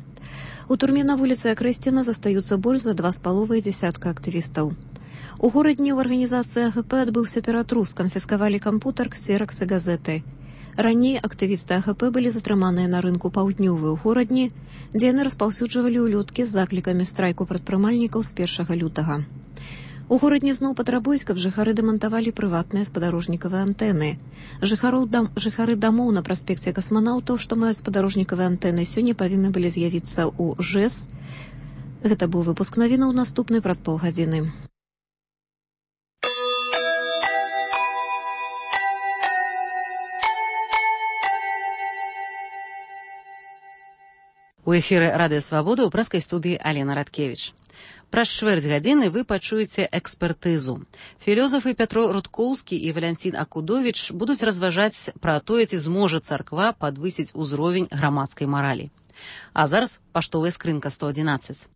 У турме на вуліцы Акрэсціна застаюцца больш за два з паловай дзясятка актывістаў. У горадні ў арганізацыі АГП адбыўся ператрус, канфіскавалі кампутар, ксеракс і газеты. Раней актывісты АГП былі затрыманыя на рынку паўднёвы ў горадні, дзе яны распаўсюджвалі ўлёткі з заклікамі страйку прадпрымальнікаў з першага лютага. У горадні зноў патрабуюць, каб жыхары дэмантавалі прыватныя спадарожнікавыя антэны. Жыхароў дам, жыхары дамоў на праспекце касманаўтаў, што маюць спадарожнікавыя антэны, сёння павінны былі з'явіцца ў ЖЭС. Гэта быў выпуск навінаў, наступны праз паўгадзіны. У эфіры радыё «Свабода» ў праскай студыі Алена Радкевіч. Праз чвэрць гадзіны вы пачуеце экспертызу. Філёзафы Пятро Рудкоўскі і Валянцін Акудовіч будуць разважаць пра тое, ці зможа царква падвысіць узровень грамадскай маралі. А зараз паштовая скрынка сто адзінаццаць.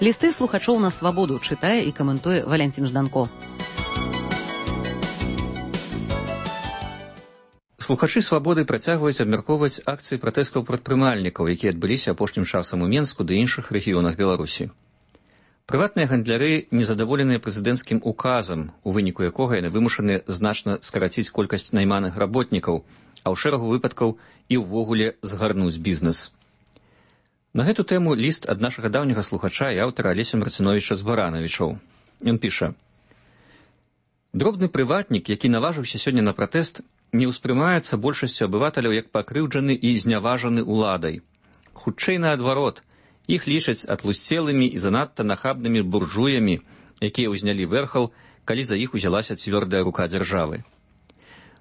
Лісты слухачоў на свабоду чытае і каментуе Валянцін Жданко. Слухачы свабоды працягваюць абмяркоўваць акцыі пратэстаў прадпрымальнікаў, якія адбыліся апошнім часам у Менску ды іншых рэгіёнах Беларусі. Прыватныя гандляры незадаволеныя прэзідэнцкім указам, у выніку якога яны вымушаны значна скараціць колькасць найманых работнікаў, а ў шэрагу выпадкаў і ўвогуле згарнуць бізнес. На гэту тэму ліст ад нашага даўняга слухача і аўтара Алеся Марциновича з Баранавічаў. Ён піша: «Дробны прыватнік, які наважыўся сёння на пратэст, не ўспрымаецца большасцю абывателяў як пакрыўджаны і зняважаны ўладай. Хутчэй наадварот, іх лічаць атлусцелымі і занадта нахабнымі буржуямі, якія ўзнялі верхал, калі за іх узялася цвёрдая рука дзяржавы.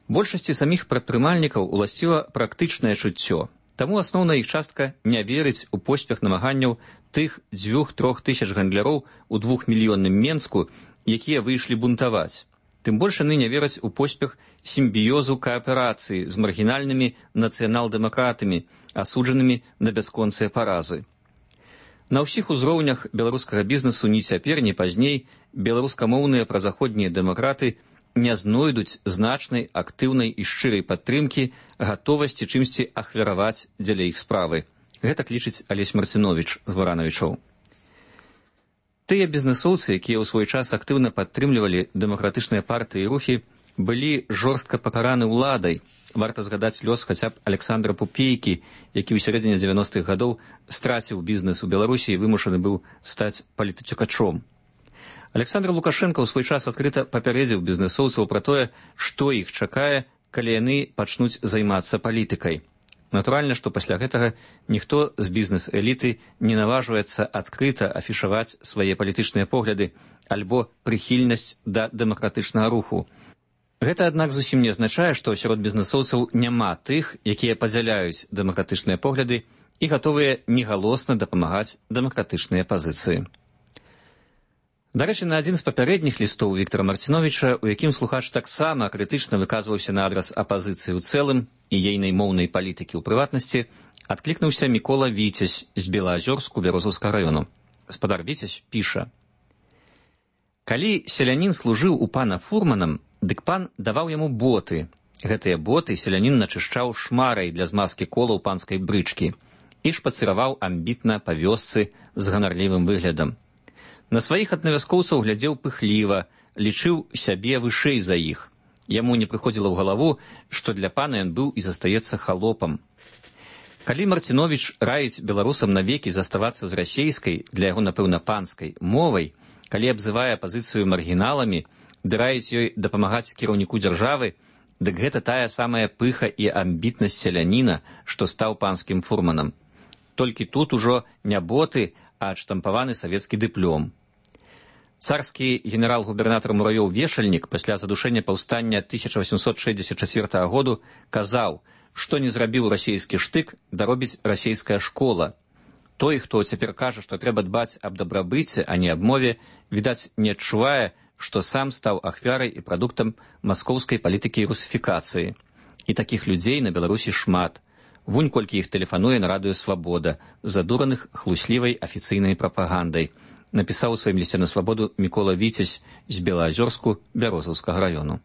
Большасці саміх прадпрымальнікаў уласціва практычнае чуццё, таму асноўная іх частка не верыць у поспех намаганняў тых дзвюх-трох тысяч гандляроў у двухмільённым Менску, якія выйшлі бунтаваць. Тым больш яны не вераць у поспех сімбіёзу кааперацыі з маргінальнымі нацыянал-дэмакратамі, асуджанымі на бясконцыя паразы. На ўсіх узроўнях беларускага бізнесу ні цяпер, ні пазней беларускамоўныя празаходнія дэмакраты не знойдуць значнай, актыўнай і шчырай падтрымкі, гатовасці чымсьці ахвяраваць дзеля іх справы. Гэтак лічыць Алесь Марцинович з Баранавічоў. Тыя бізнесоўцы, якія ў свой час актыўна падтрымлівалі дэмакратычныя партыі і рухі, былі жорстка пакараны ўладай. Варта згадаць лёс хаця б Александра Пупейкі, які ў сярэдзіне дзевяностых гадоў страціў бізнес у Беларусі і вымушаны быў стаць палітыцюкачом. Александр Лукашенко ў свой час адкрыта папярэдзіў бізнесоўцаў пра тое, што іх чакае, калі яны пачнуць займацца палітыкай. Натуральна, што пасля гэтага ніхто з бізнес-эліты не наважваецца адкрыта афішаваць свае палітычныя погляды альбо прыхільнасць да дэмакратычнага руху. Гэта, аднак, зусім не азначае, што сярод бізнесоўцаў няма тых, якія падзяляюць дэмакратычныя погляды і гатовыя негалосна дапамагаць дэмакратычныя пазіцыі. Дарэчы, на адзін з папярэдніх лістоў Віктара Марциновича, у якім слухач таксама крытычна выказваўся на адрас апазіцыі ў цэлым і ейнай моўнай палітыкі ў прыватнасці, адклікнуўся Мікола Віцязь з Белаазёрску Бярозаўскага раёну. Спадар Віцязь піша: «Калі селянін служыў у пана фурманам, дык пан даваў яму боты. Гэтыя боты селянін начышчаў шмарай для змазкі колаў панскай брычкі і шпацыраваў амбітна па вёсцы з ганарлівым выглядам. На сваіх аднавяскоўцаў глядзеў пыхліва, лічыў сябе вышэй за іх. Яму не прыходзіла ў галаву, што для пана ён быў і застаецца халопам. Калі Марцинович раіць беларусам навекі заставацца з расейскай, для яго, напэўна, панскай, мовай, калі абзывае апазіцыю маргіналамі, ды раіць ёй дапамагаць кіраўніку дзяржавы, дык гэта тая самая пыха і амбітнасць селяніна, што стаў панскім фурманам. Толькі тут ужо не боты, а адштампаваны савецкі дыплём. Царскі генерал-губернатар Муравёў Вешальнік пасля задушэння паўстання тысяча восемьсот шэсцьдзесят чацвёртага году казаў, што не зрабіў расейскі штык, даробіць расейская школа. Той, хто цяпер кажа, што трэба дбаць аб дабрабыце, а не аб мове, відаць, не адчувае, што сам стаў ахвярай і прадуктам маскоўскай палітыкі і русіфікацыі. І такіх людзей на Беларусі шмат. Вунь колькі іх тэлефануе на радыё «Свабода», задураных хлуслівай афіцыйнай прапагандай, напісаў у сваім лісце на свабоду Мікола Віцязь з Белаазёрску Бярозаўскага раёну.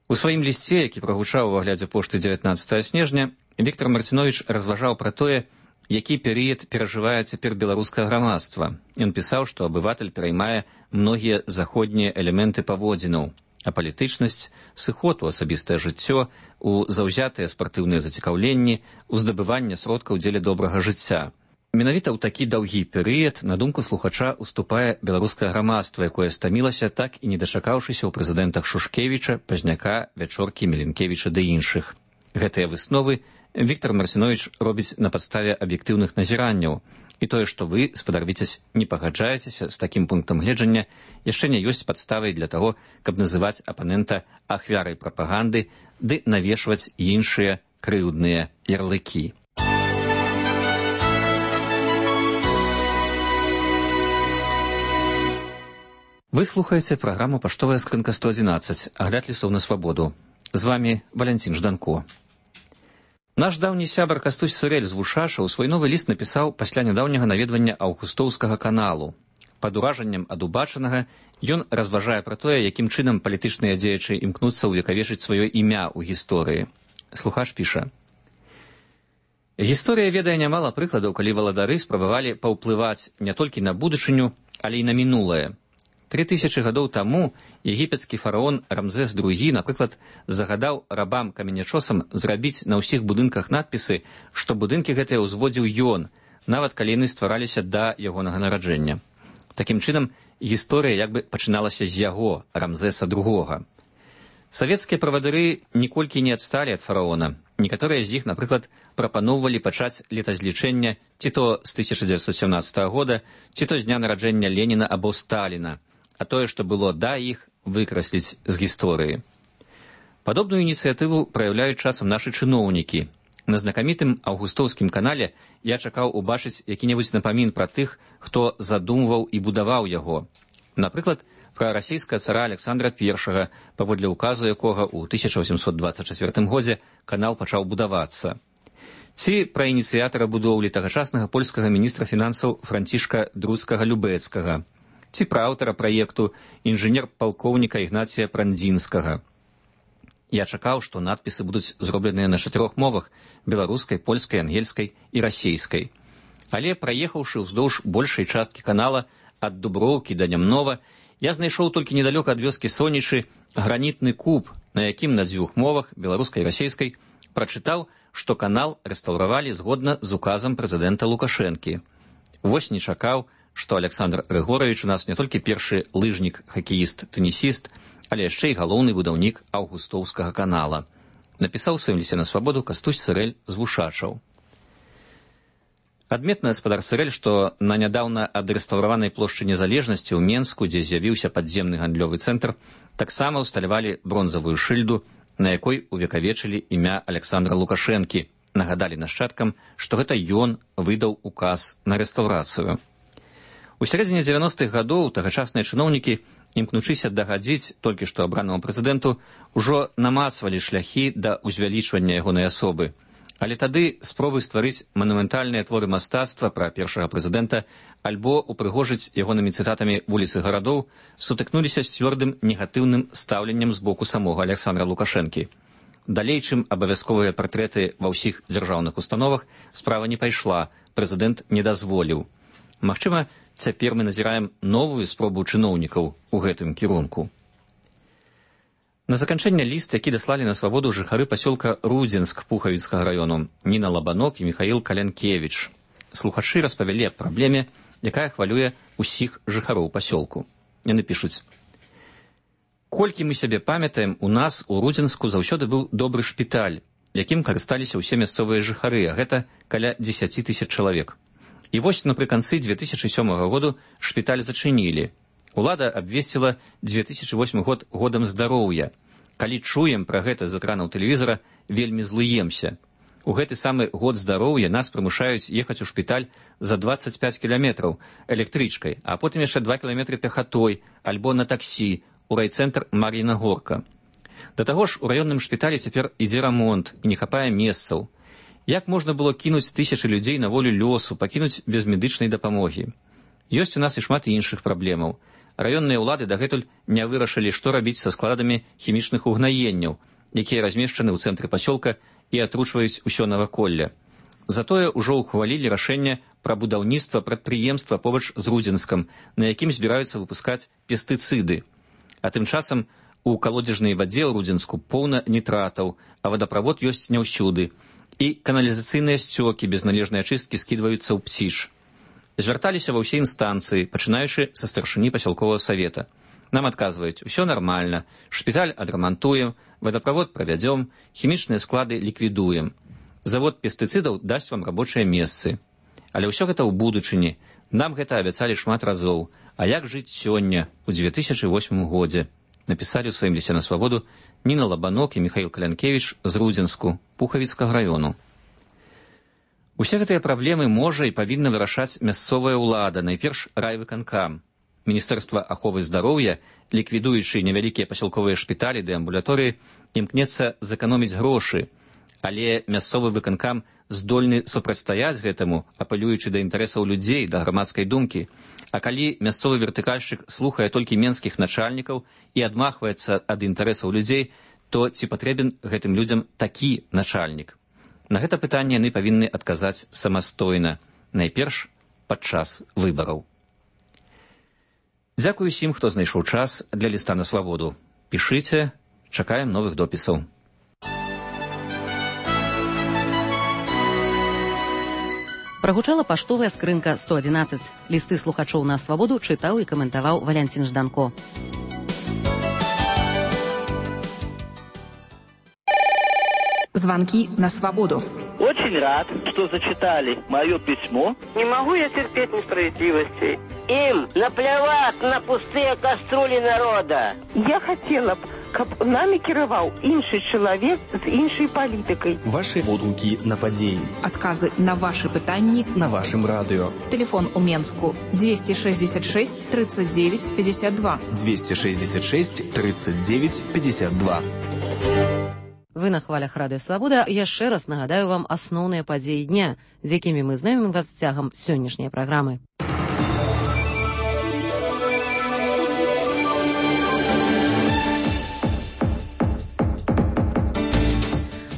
У сваім лісце, які прагучаў у аглядзе пошты дзевятнаццатага снежня, Віктар Марцинович разважаў пра тое, які перыяд перажывае цяпер беларускае грамадства. Ён пісаў, што абыватель пераймае многія заходнія элементы паводзінаў, а палітычнасць, сыход у асабістае жыццё, у заўзятыя спартыўныя зацікаўленні, у здабыванне сродкаў дзеля добрага жыцця. Менавіта ў такі даўгі перыяд на думку слухача уступае беларускае грамадства, якое стамілася, так і не дачакаўшыся ў прэзідэнтах Шушкевіча, Пазняка, Вячоркі, Меленкевіча ды іншых. Гэтыя высновы Віктар Марцинович робіць на падставе аб'ектыўных назіранняў, і тое, што вы, спадар Віцязь, не пагаджаецеся з такім пунктам гледжання, яшчэ не ёсць падставай для таго, каб называць апанента ахвярай прапаганды ды навешваць іншыя крыўдныя ярлыкі. Вы слухаеце праграму «Паштовая скрынка сто адзінаццаць», агляд лістоў на свабоду. З вамі Валянцін Жданко. Наш даўні сябар Кастусь Сырэль з Вушаша ў свой новы ліст напісаў пасля нядаўняга наведвання Аўгустоўскага каналу. Пад уражаннем ад убачанага ён разважае пра тое, якім чынам палітычныя дзеячы імкнуцца ўвекавечыць сваё імя ў гісторыі. Слухач піша: «Гісторыя ведае нямала прыкладаў, калі валадары спрабавалі паўплываць не толькі на будучыню, але і на мінулае. Тры тысячы гадоў таму егіпецкі фараон Рамзес другі, напрыклад, загадаў рабам-каменячосам зрабіць на ўсіх будынках надпісы, што будынкі гэтыя ўзводзіў ён, нават калі яны ствараліся да ягонага нараджэння. Такім чынам, гісторыя як бы пачыналася з яго, Рамзеса другога. Савецкія правадыры ніколькі не адсталі ад фараона. Некаторыя з іх, напрыклад, прапаноўвалі пачаць летазлічэння ці то з тысяча дзевяцьсот сямнаццатага года, ці то з дня нараджэння Леніна або Сталіна, а тое, што было да іх, выкрасліць з гісторыі. Падобную ініцыятыву праяўляюць часам нашы чыноўнікі. На знакамітым аўгустоўскім канале я чакаў убачыць які-небудзь напамін пра тых, хто задумваў і будаваў яго. Напрыклад, пра расійскага цара Александра Першага, паводле указу якога ў тысяча васемсот дваццаць чацвёртым годзе канал пачаў будавацца. Ці пра ініцыятара будоўлі тагачаснага польскага міністра фінансаў Францішка Друцкага-Любэцкага, ці пра аўтара праекту інжынер-палкоўніка Ігнація Прандзінскага. Я чакаў, што надпісы будуць зробленыя на чатырох мовах – беларускай, польскай, ангельскай і расейскай. Але, праехаўшы ўздоўж большай часткі канала ад Дуброўкі да Нямнова, я знайшоў толькі недалёка ад вёскі Сонічы гранітны куб, на якім на дзвюх мовах, беларускай і расейскай, прачытаў, што канал рэстаўравалі згодна з указам прэзідэнта Лукашэнкі. Вось не чакаў, што Александр Григорович у нас не толькі першы лыжнік, хакеіст, тэнісіст, але яшчэ і галоўны будаўнік аўгустоўскага канала. Напісаў у сваім лісце на свабоду Кастусь Сырэль з Вушачаў. Адметна гаспадар Сырэль, што на нядаўна адрэстаўраванай плошчы Незалежнасці ў Менску, дзе з'явіўся падземны гандлёвы цэнтр, таксама ўсталявалі бронзавую шыльду, на якой увекавечылі імя Александра Лукашэнкі, нагадалі нашчадкам, што гэта ён выдаў указ на рэстаўрацыю. У сярэдзіне дзевяностых гадоў тагачасныя чыноўнікі, імкнучыся дагадзіць толькі што абранаму прэзідэнту, ужо намацвалі шляхі да ўзвялічвання ягонай асобы. Але тады спробы стварыць манументальныя творы мастацтва пра першага прэзідэнта альбо упрыгожыць ягонымі цытатамі вуліцы гарадоў сутыкнуліся з цвёрдым негатыўным стаўленнем з боку самога Александра Лукашэнкі. Далей, чым абавязковыя партрэты ва ўсіх дзяржаўных установах, справа не пайшла, прэзідэнт не дазволіў. Магчыма, цяпер мы назіраем новую спробу чыноўнікаў у гэтым кірунку. На заканчэнне ліст, які даслалі на свабоду жыхары пасёлка Рудзенск Пухавіцкага раёну Ніна Лабанок і Міхаіл Калянкевіч. Слухачы распавялі аб праблеме, якая хвалюе ўсіх жыхароў пасёлку. Яны пішуць: «Колькі мы сябе памятаем, у нас у Рудзенску заўсёды быў добры шпіталь, якім карысталіся ўсе мясцовыя жыхары, а гэта каля дзесяці тысяч чалавек. І вось напрыканцы дзве тысячы сёмага году шпіталь зачынілі. Улада абвесціла дзве тысячы восьмы год годам здароўя. Калі чуем пра гэта з экранаў тэлевізара, вельмі злуемся. У гэты самы год здароўя нас прымушаюць ехаць у шпіталь за дваццаць пяць кіламетраў электрычкай, а потым яшчэ два кіламетры пехатой альбо на таксі у райцэнтр Мар'іна Горка. Да таго ж у раённым шпіталі цяпер ідзе рамонт і не хапае месцаў. Як можна было кінуць тысячы людзей на волю лёсу, пакінуць без медычнай дапамогі? Ёсць у нас і шмат іншых праблемаў. Раённыя ўлады дагэтуль не вырашылі, што рабіць са складамі хімічных угнаенняў, якія размешчаны ў цэнтры пасёлка і атручваюць усё наваколле. Затое ўжо ўхвалілі рашэнне пра будаўніцтва прадпрыемства побач з Рудзенскам, на якім збіраюцца выпускаць пестыцыды. А тым часам у калодзежнай вадзе ў Рудзенску поўна нітратаў, а вадаправод ёсць не ўсюды, і каналізацыйныя сцёкі без належнай ачысткі скідваюцца ў Пціш. Звярталіся ва ўсе інстанцыі, пачынаючы са старшыні пасялковага савета. Нам адказваюць: усё нармальна, шпіталь адрамантуем, вадаправод правядзём, хімічныя склады ліквідуем. Завод пестыцыдаў дасць вам рабочыя месцы. Але ўсё гэта ў будучыні. Нам гэта абяцалі шмат разоў. А як жыць сёння, у дзве тысячы восьмым годзе? Напісалі ў сваім лісце на свабоду Ніна Лабанок і Міхаіл Калянкевіч з Рудзенску, Пухавіцкага раёну. Усе гэтыя праблемы можа і павінна вырашаць мясцовая ўлада, найперш райвыканкам. Міністэрства аховы здароўя, ліквідуючы невялікія пасялковыя шпіталі ды амбулаторыі, імкнецца зэканоміць грошы, але мясцовы выканкам здольны супрацьстаяць гэтаму, апелюючы да інтарэсаў людзей, да грамадскай думкі. А калі мясцовы вертыкальшчык слухае толькі менскіх начальнікаў і адмахваецца ад інтарэсаў людзей, то ці патрэбен гэтым людзям такі начальнік? На гэта пытанне яны павінны адказаць самастойна, найперш падчас выбараў. Дзякую усім, хто знайшоў час для ліста на свабоду. Пішыце, чакаем новых допісаў. Прагучала паштовая скрынка сто адзінаццаць. Лісты слухачоў на свабоду чытаў і каментаваў Валянцін Жданко. Звонки на свободу. Очень рад, что зачитали мое письмо. Не могу я терпеть несправедливости. Им наплевать на пустые кастрюли народа. Я хотела б, каб нами кіраваў іншы чалавек з іншай палітыкай. Ваши водгукі на падзеі. Адказы на ваши пытанні на вашым радыё. Телефон у Менску двести шестьдесят шесть тридцать девять пятьдесят два. двести шестьдесят шесть тридцать девять пятьдесят два. Вы на хвалях Радыё Свабода. Яшчэ раз нагадаю вам асноўныя падзеі дня, з якімі мы знаёмім вас цягам сённяшняй праграмы.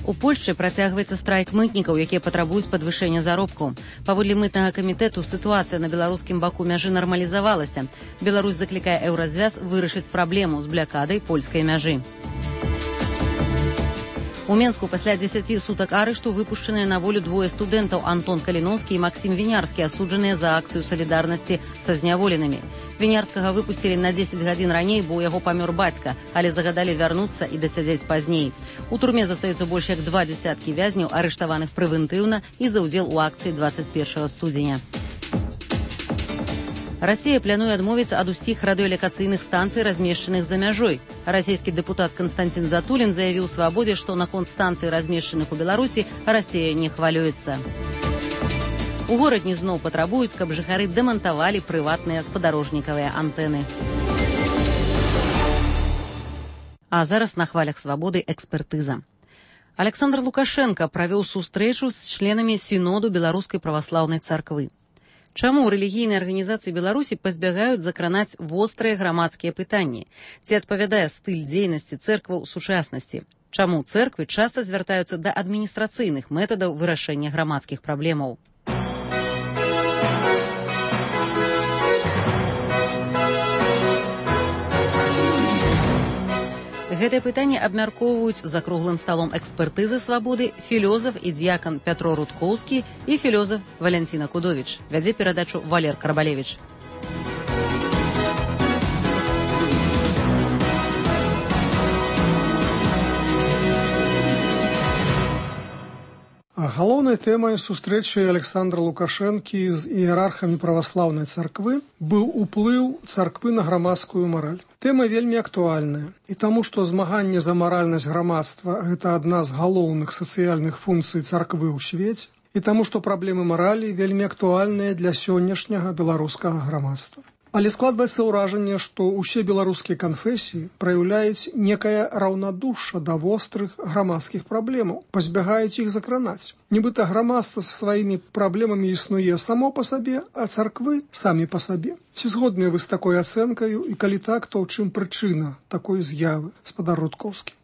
У Польшчы працягваецца страйк мытнікаў, якія патрабуюць падвышэння заробкаў. Паводле мытнага камітэту сітуацыя на беларускім баку мяжы нармалізавалася. Беларусь заклікае еўразвяз вырашыць праблему з блякадай польскай мяжы. У Менску пасля дзесяці сутак арышту выпушчаныя на волю двое студэнтаў Антон Каліноўскі і Максім Вінярскі, асуджаныя за акцыю салідарнасці са зняволенымі. Вінярскага выпусцілі на дзесяць гадзін раней, бо ў яго памёр бацька, але загадалі вярнуцца і дасядзець пазней. У турме застаюцца больш як два дзесяткі вязняў, арыштаваных прэвентыўна і за ўдзел у акцыі двадцать першага студзеня. Расія плануе адмовіцца ад усіх радыёлекацыйных станцый, размешчаных за мяжой. Расійскі дэпутат Канстантин Затулін заявіў Свабодзе, што наконт станцый, размешчаных у Беларусі, Расія не хвалюецца. У горадні зноў патрабуюць, каб жыхары дэмантавалі прыватныя спадарожнікавыя антэны. А зараз на хвалях Свабоды экспертыза. Александр Лукашенко правёў сустрэчу з членамі сіноду Беларускай праваслаўнай царквы. Чаму рэлігійныя арганізацыі Беларусі пазбягаюць закранаць вострыя грамадскія пытанні? Ці адпавядае стыль дзейнасці цэркваў сучаснасці? Чаму цэрквы часта звяртаюцца да адміністрацыйных метадаў вырашэння грамадскіх праблемаў? Гэтае пытанне абмяркоўваюць за круглым сталом экспертызы Свабоды філёзаф і дзьякан Пятро Рудкоўскі і філёзаф Валянціна Кудовіч. Вядзе перадачу Валер Карбалевіч. Галоўнай тэмай сустрэчы Александра Лукашэнкі з іерархамі праваслаўнай царквы быў уплыў царквы на грамадскую мараль. Тэма вельмі актуальная, і таму, што змаганне за маральнасць грамадства – гэта адна з галоўных сацыяльных функцый царквы ў свеце, і таму, што праблемы маралі вельмі актуальныя для сённяшняга беларускага грамадства. Але складваецца ўражанне, што ўсе беларускія канфесіі праяўляюць некае раўнадушша да вострых грамадскіх праблемаў, пазбягаюць іх закранаць. Нібыта грамадства са сваімі праблемамі існуе само па сабе, а царквы самі па сабе. Ці згодныя вы з такой ацэнкаю, і калі так, то ў чым прычына такой з'явы, спадар Рудкоўскі?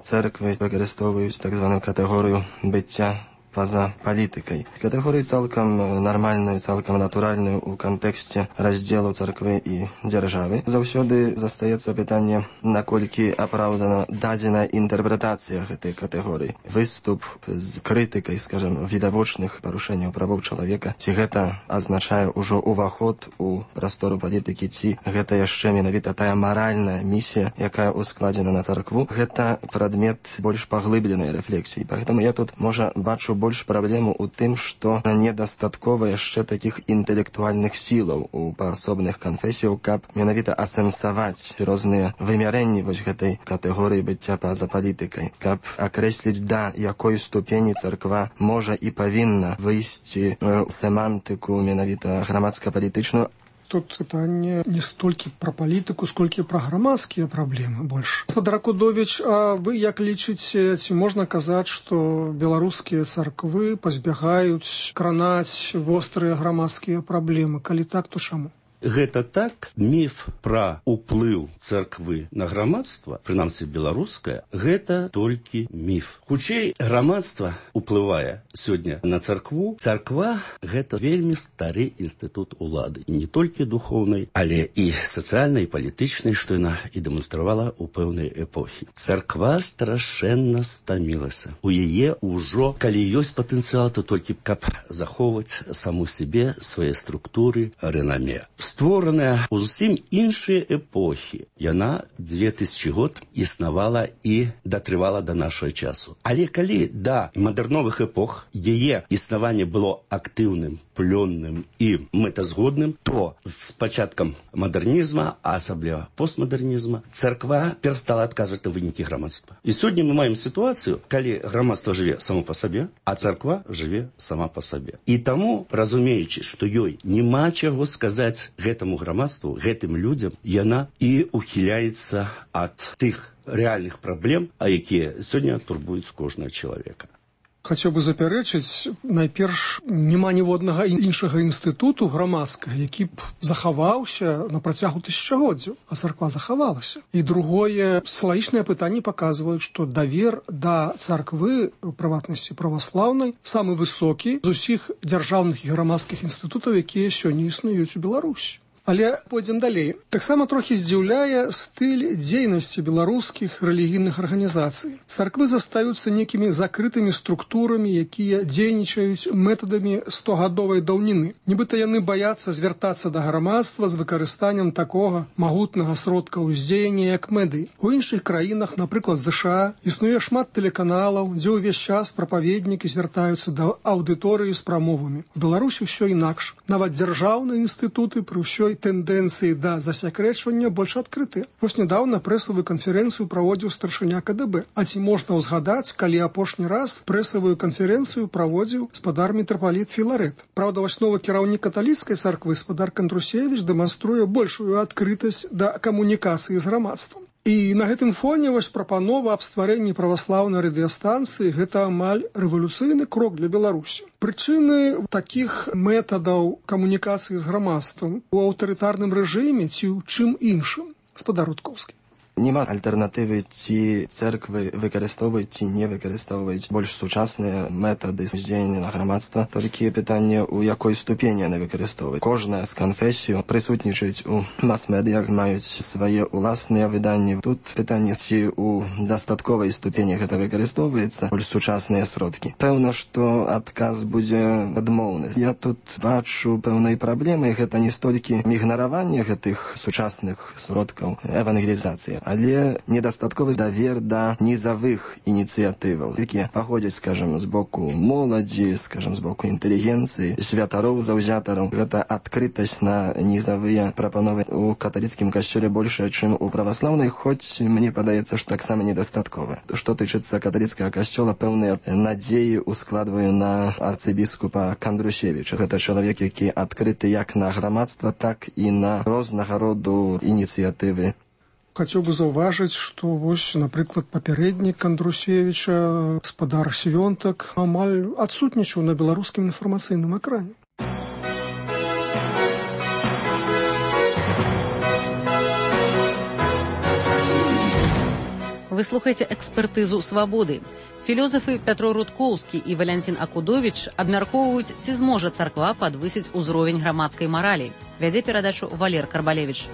Церквы выкарыстоўваюць так званую катэгорыю быцця па-за палітыкай. Катэгорыю цалкам нармальную, цалкам натуральную ў кантэксце раздзелу царквы і дзяржавы. Заўсёды застаецца пытанне, наколькі апраўдана дадзеная інтэрпрэтацыя гэтай катэгорыі. Выступ з крытыкай, скажем, відавочных парушэнняў правоў чалавека, ці гэта азначае ўжо ўваход у прастору палітыкі, ці гэта яшчэ менавіта тая маральная місія, якая ускладзена на царкву. Гэта прадмет больш паглыбленай рэфлексіі. Пагэтаму я тут, можа, бачу больш праблему ў тым, што недастаткова яшчэ такіх інтэлектуальных сілаў у паасобных канфесіяў, каб менавіта асэнсаваць розныя вымярэнні вось гэтай катэгорыі быцця па-за палітыкай, каб акрэсліць, да якой ступені царква можа і павінна выйсці ў семантыку менавіта грамадска-палітычную. Тут пытанне не столькі пра палітыку, сколькі пра грамадскія праблемы больш. Спадар Кудовіч, а вы як лічыце, ці можна казаць, што беларускія царквы пазбягаюць кранаць вострыя грамадскія праблемы? Калі так, то чаму? Гэта так, міф пра ўплыў царквы на грамадства, прынамсі беларускае, гэта толькі міф. Хутчэй, грамадства ўплывае сёння на царкву. Царква – гэта вельмі стары інстытут улады. І не толькі духоўнай, але і сацыяльнай, і палітычнай, што яна і дэманстравала ў пэўнай эпохі. Царква страшэнна стамілася. У яе ўжо, калі ёсць патэнцыял, то толькі каб захоўваць саму сябе, свае структуры, рэнаме. створаная ў зусім іншыя эпохі. Яна две тысячи год існавала і датрывала да нашага часу. Але калі да мадэрновых эпох яе існаванне было актыўным, плённым і мэтазгодным, то з пачаткам мадэрнізма, а асабліва постмадэрнізма, царква перастала адказваць на вынікі грамадства. І сёння мы маем сітуацыю, калі грамадства жыве само па сабе, а царква жыве сама па сабе. І таму, разумеючы, што ёй няма чаго сказаць гэтаму грамадству, гэтым людзям, яна і ухіляецца ад тых рэальных праблем, а якія сёння турбуюць кожнага чалавека. Хацеў бы запярэчыць, найперш няма ніводнага іншага інстытуту грамадскага, які б захаваўся на працягу тысячагоддзяў, а царква захавалася. І другое, салагічныя пытанні паказваюць, што давер да царквы, у прыватнасці праваслаўнай, самы высокі з усіх дзяржаўных і грамадскіх інстытутаў, якія сёння існуюць у Беларусі. Але пойдзем далей. Таксама трохі здзіўляе стыль дзейнасці беларускіх рэлігійных арганізацый. Царквы застаюцца некімі закрытымі структурамі, якія дзейнічаюць метадамі стогадовай даўніны. Нібыта яны баяцца звяртацца да грамадства з выкарыстаннем такога магутнага сродка ўздзеяння, як медыі. У іншых краінах, напрыклад, ЗША, існуе шмат тэлеканалаў, дзе ўвесь час прапаведнікі звяртаюцца да аўдыторыі з прамовамі. У Беларусі ўсё інакш. Нават дзяржаўныя інстытуты пры ўсёй тэндэнцыі да засякрэчвання больш адкрытыя. Вось нядаўна прэсавую канферэнцыю праводзіў старшыня КДБ. А ці можна ўзгадаць, калі апошні раз прэсавую канферэнцыю праводзіў спадар мітрапаліт Філарэт. Праўда, вось новы кіраўнік каталіцкай царквы спадар Кандрусевіч дэманструе большую адкрытасць да камунікацыі з грамадствам. І на гэтым фоне вось прапанова аб стварэнні праваслаўнай радыёстанцыі гэта амаль рэвалюцыйны крок для Беларусі. Прычыны такіх метадаў камунікацыі з грамадствам у аўтарытарным рэжыме ці ў чым іншым? Спадар Рудкоўскі. Нема альтэрнатывы ці церквы выкарыстоўваюць ці не выкарыстоўваюць больш сучасныя метады здзеяння на грамадства. Толькі пытанне, у якой ступені яны выкарыстоўваюць. Кожная з канфесій прысутнічаюць у мас-медыях, маюць свае ўласныя выданні. Тут пытанне, ці у дастатковай ступені гэта выкарыстоўваецца больш сучасныя сродкі. Пэўна, што адказ будзе адмоўны. Я тут бачу пэўнай праблемы, гэта не столькі ігнараванне гэтых сучасных сродкаў евангелізацыі, але недастатковы давер да нізавых ініцыятываў, якія паходзяць, скажам, з боку моладзі, скажам, з боку інтэлігенцыі, святароў, заўзятараў. Гэта адкрытасць на нізавыя прапановы у каталіцкім касцёле большая, чым у праваслаўнай, хоць мне падаецца, што таксама недастаткова. Што тычыцца каталіцкага касцёла, пэўныя надзеі ускладваю на арцыбіскупа Кандрусевіча. Гэта чалавек, які адкрыты як на грамадства, так і на рознага роду ініцыятывы. Хацеў бы заўважыць, што вось, напрыклад, папярэднік Кандрусевіча, спадар Свёнтак, амаль адсутнічаў на беларускім інфармацыйным экране. Вы слухаеце экспертызу «Свабоды». Філёзафы Пятро Рудкоўскі і Валянцін Акудовіч абмяркоўваюць, ці зможа царква падвысіць узровень грамадскай маралі. Вядзе перадачу Валер Карбалевіч.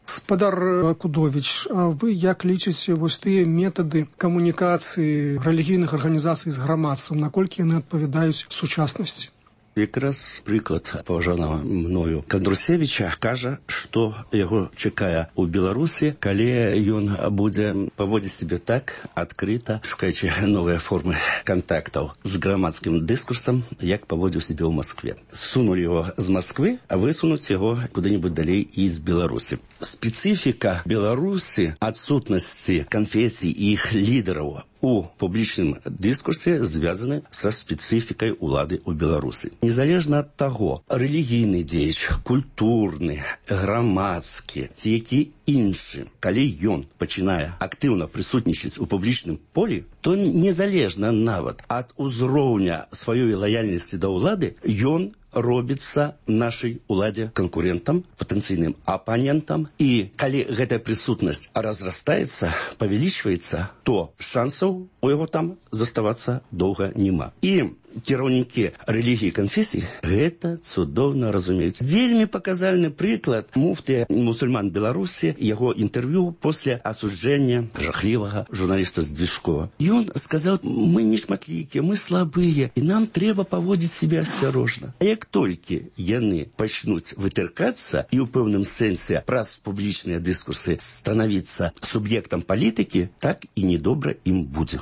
Спадар Акудовіч, а вы як лічыце вось тыя метады камунікацыі рэлігійных арганізацый з грамадствам, наколькі яны адпавядаюць сучаснасці? Якраз прыклад паважанага мною Кандрусевіча кажа, што яго чакае ў Беларусі, калі ён будзе паводзіць сябе так адкрыта, шукаючы новыя формы кантактаў з грамадскім дыскурсам, як паводзіў сябе ў Маскве. Сунулі яго з Масквы, а высунуць яго куды-небудзь далей і з Беларусі. Спецыфіка Беларусі адсутнасці канфесій і іх лідараў у публічным дыскурсе звязаны са спецыфікай улады ў Беларусі. Незалежна ад таго, рэлігійны дзеяч, культурны, грамадскі ці які іншы, калі ён пачынае актыўна прысутнічаць у публічным полі, то незалежна нават ад узроўня сваёй лаяльнасці да ўлады, ён робіцца нашай уладзе канкурентам, патэнцыйным апанентам, і калі гэтая прысутнасць разрастаецца, павялічваецца, то шансаў у яго там заставацца доўга няма. І кіраўнікі рэлігіі і канфесій гэта цудоўна разумеюць. Вельмі паказальны прыклад муфты мусульман Беларусі, яго інтэрв'ю пасля асуджэння жахлівага журналіста Здвижкова. Ён сказаў, мы не шматлікія, мы слабыя, і нам трэба паводзіць себе асцярожна. А як толькі яны пачнуць вытыркацца і ў пэўным сэнсе праз публічныя дыскурсы станавіцца суб'ектам палітыкі, так і недобра ім будзе.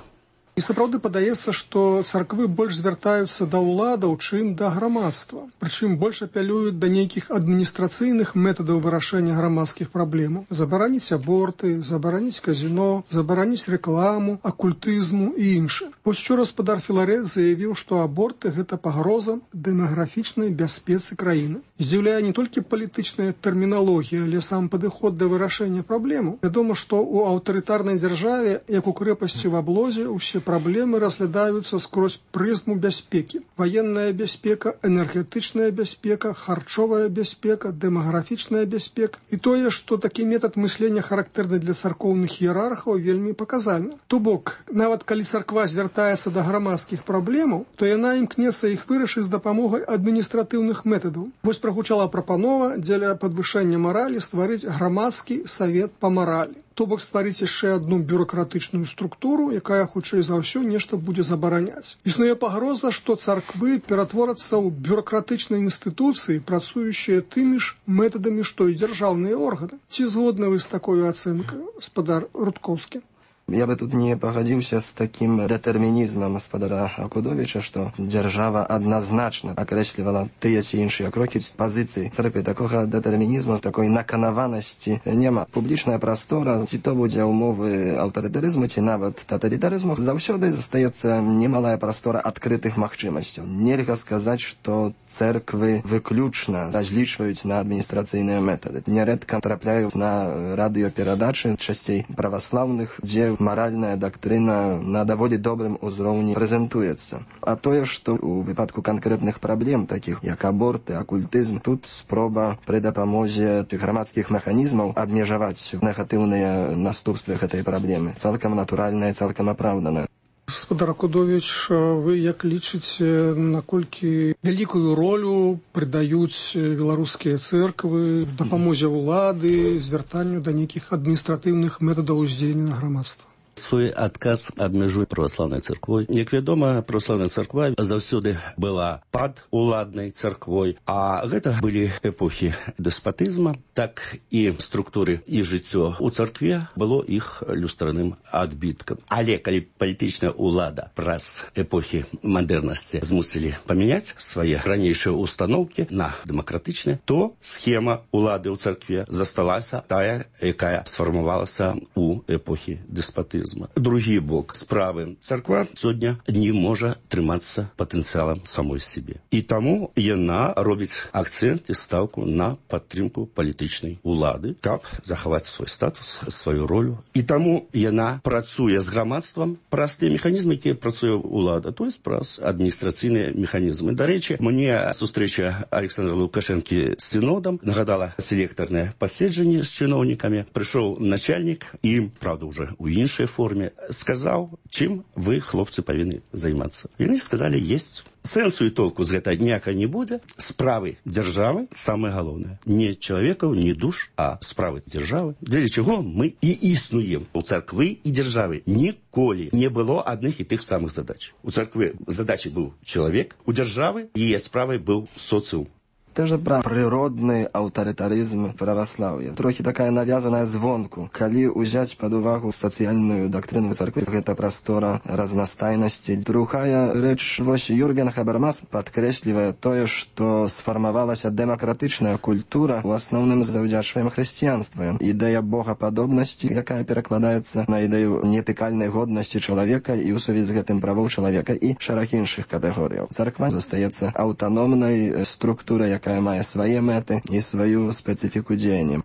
І сапраўды падаецца, што царквы больш звяртаюцца да ўладаў, чым да грамадства. Прычым больш апелююць да нейкіх адміністрацыйных метадаў вырашэння грамадскіх праблемаў. Забараніць аборты, забараніць казіно, забараніць рэкламу, акультызму і іншае. Вось учора спадар Філарэт заявіў, што аборты – гэта пагроза дэмаграфічнай бяспецы краіны. Здзіўляе не толькі палітычная тэрміналогія, але сам падыход да вырашэння праблемаў. Вядома, што ў аўтарытарнай дзяржаве, як у крэпасці в аблозе, усе праблемы разглядаюцца скрозь прызму бяспекі. Ваенная бяспека, энергетычная бяспека, харчовая бяспека, дэмаграфічная бяспека. І тое, што такі метад мыслення характэрны для царкоўных іерархаў, вельмі паказальна. То бок, нават калі царква звяртаецца да грамадскіх праблемаў, то яна імкнецца іх вырашыць з дапамогай адміністратыўных метадаў. Вось прагучала прапанова дзеля падвышэння маралі стварыць грамадскі савет па маралі. То бок стварыць яшчэ адну бюракратычную структуру, якая хутчэй за ўсё нешта будзе забараняць. Існуе пагроза, што царквы ператворацца ў бюракратычныя інстытуцыі, працуючыя тымі ж метадамі, што і дзяржаўныя органы. Ці згодны вы з такой ацэнкай, спадар Рудкоўскі? Я бы тут не погодзіўся з такім дэтэрмінізмам спадара Акудовіча, што дзяржава адназначна акрэслівала тыя ці іншыя крокі пазіцыі царквы. Такога дэтэрмінізму, такой наканаванасці няма. Публічная прастора, ці то будзе умовы аўтарытарызму, ці нават таталітарызму, заўсёды застаецца немалая прастора адкрытых магчымасцяў. Нельга сказаць, што церквы выключна разлічваюць на адміністрацыйныя метады. Нярэдка трапляюць на радыёперадачы, часцей праваслаўных, дзе маральная дактрына на даволі добрым узроўні прэзентуецца. А тое, што ў выпадку канкрэтных праблем, такіх як аборты, акультызм, тут спроба пры дапамозе тых грамадскіх механізмаў абмежаваць негатыўныя наступствы гэтай праблемы. Цалкам натуральная, цалкам апраўданая. Спадар Акудовіч, вы як лічыце, наколькі вялікую ролю прыдаюць беларускія цэрквы дапамозе ўлады, звяртанню да нейкіх адміністратыўных метадаў уздзеяння на грамадства? Свой адказ абмежуе праваслаўнай царквой. Як вядома, праваслаўная царква заўсёды была пад уладнай царквой, а гэта былі эпохі дэспатызма, так і структуры і жыццё у царкве было іх люстраным адбіткам. Але калі палітычная ўлада праз эпохі мадэрнасці змусілі памяняць свае ранейшыя устаноўкі на дэмакратычныя, то схема ўлады ў царкве засталася тая, якая сфармавалася ў эпохі дэспатызму. Другі бок справы. Царква сёння не можа трымацца патэнцыялам самой сябе. І таму яна робіць акцэнт і стаўку на падтрымку палітычнай улады, каб захаваць свой статус, сваю ролю. І таму яна працуе з грамадствам праз тыя механізмы, якія працуе ўлада, то есть праз адміністрацыйныя механізмы. Дарэчы, мне сустрэча Александра Лукашэнкі з сінодам нагадала селектарнае паседжанне з чыноўнікамі. Прыйшоў начальнік і, правда, уже у іншай форме, сказаў, чым вы, хлопцы, павінны займацца. Яны сказалі, есть. Сэнсу і толку з гэта ніяка не будзе. Справы дзяржавы самае галоўнае. Не чалавекаў, не душ, а справы дзяржавы. Дзеля чаго мы і існуем. У царквы і дзяржавы ніколі не было адных і тых самых задач. У царквы задачай быў чалавек, у дзяржавы яе справай быў соцыум. Też pra природny аўтарытарызм праваслаўя. Трохі такая навязаная звонку. Калі ўзяць пад увагу сацыяльную дактрыну царквы, гэта прастора разнастайнасці. Другая рэч, вось Юрген Хабермас падкрэслівае тое, што сфармавалася дэмакратычная культура, у асноўным завдзячваем хрысціянства. Ідэя богападобнасці, якая перакладаецца на ідэю нетыкальнай годнасці чалавека і ў сувязі з гэтым правоў чалавека і шэраг іншых катэгорыяў. Царква застаецца аўтаномнай структурай, якая мае свае мэты і сваю спецыфіку дзеяння.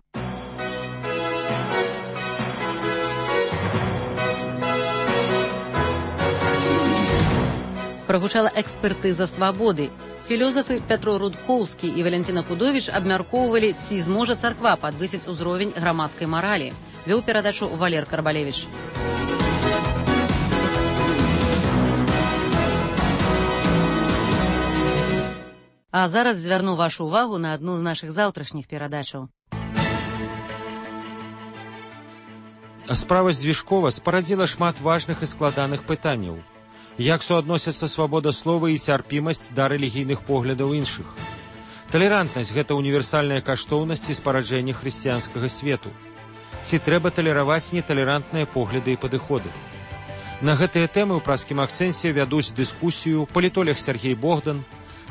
Прагучала экспертыза свабоды. Філёзафы Пятро Рудкоўскі і Валянціна Кудовіч абмяркоўвалі, ці зможа царква падвысіць узровень грамадскай маралі. Вёў перадачу Валер Карбалевіч. А зараз звярну вашу увагу на адну з нашых заўтрашніх перадачаў. Справа Дзвіжкова спарадзіла шмат важных і складаных пытанняў. Як суадносяцца свабода слова і цярпімасць да рэлігійных поглядаў іншых? Талерантнасць – гэта універсальная каштоўнасць і спараджэнне хрысціянскага свету. Ці трэба талераваць неталерантныя погляды і падыходы? На гэтыя тэмы ў праскім акцэнце вядуць дыскусію палітолог Сергей Богдан,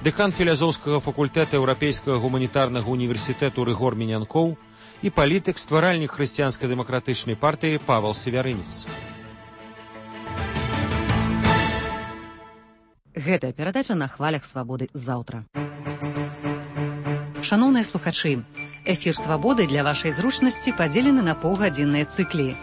дэкан філазофскага факультэта Еўрапейскага гуманітарнага універсітэту Рыгор Мінянкоў і палітык, стваральнік хрысціянска-дэмакратычнай партыі Павел Севярынец. Гэтая перадача на хвалях свабоды заўтра. Шаноўныя слухачы, эфір свабоды для вашай зручнасці падзелены на паўгадзінныя цыклі.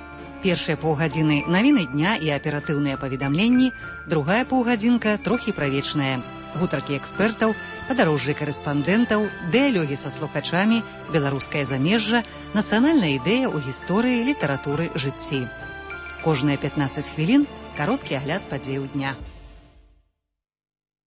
Першыя паўгадзіны навіны дня і аператыўныя паведамленні, другая паўгадзінка трохі правечная. Гутаркі экспертаў, падарожжы карэспандэнтаў, дыялогі са слухачамі, беларускае замежжа, нацыянальная ідэя ў гісторыі, літаратуры, жыцці. Кожныя пятнаццаць хвілін кароткі агляд падзеяў дня.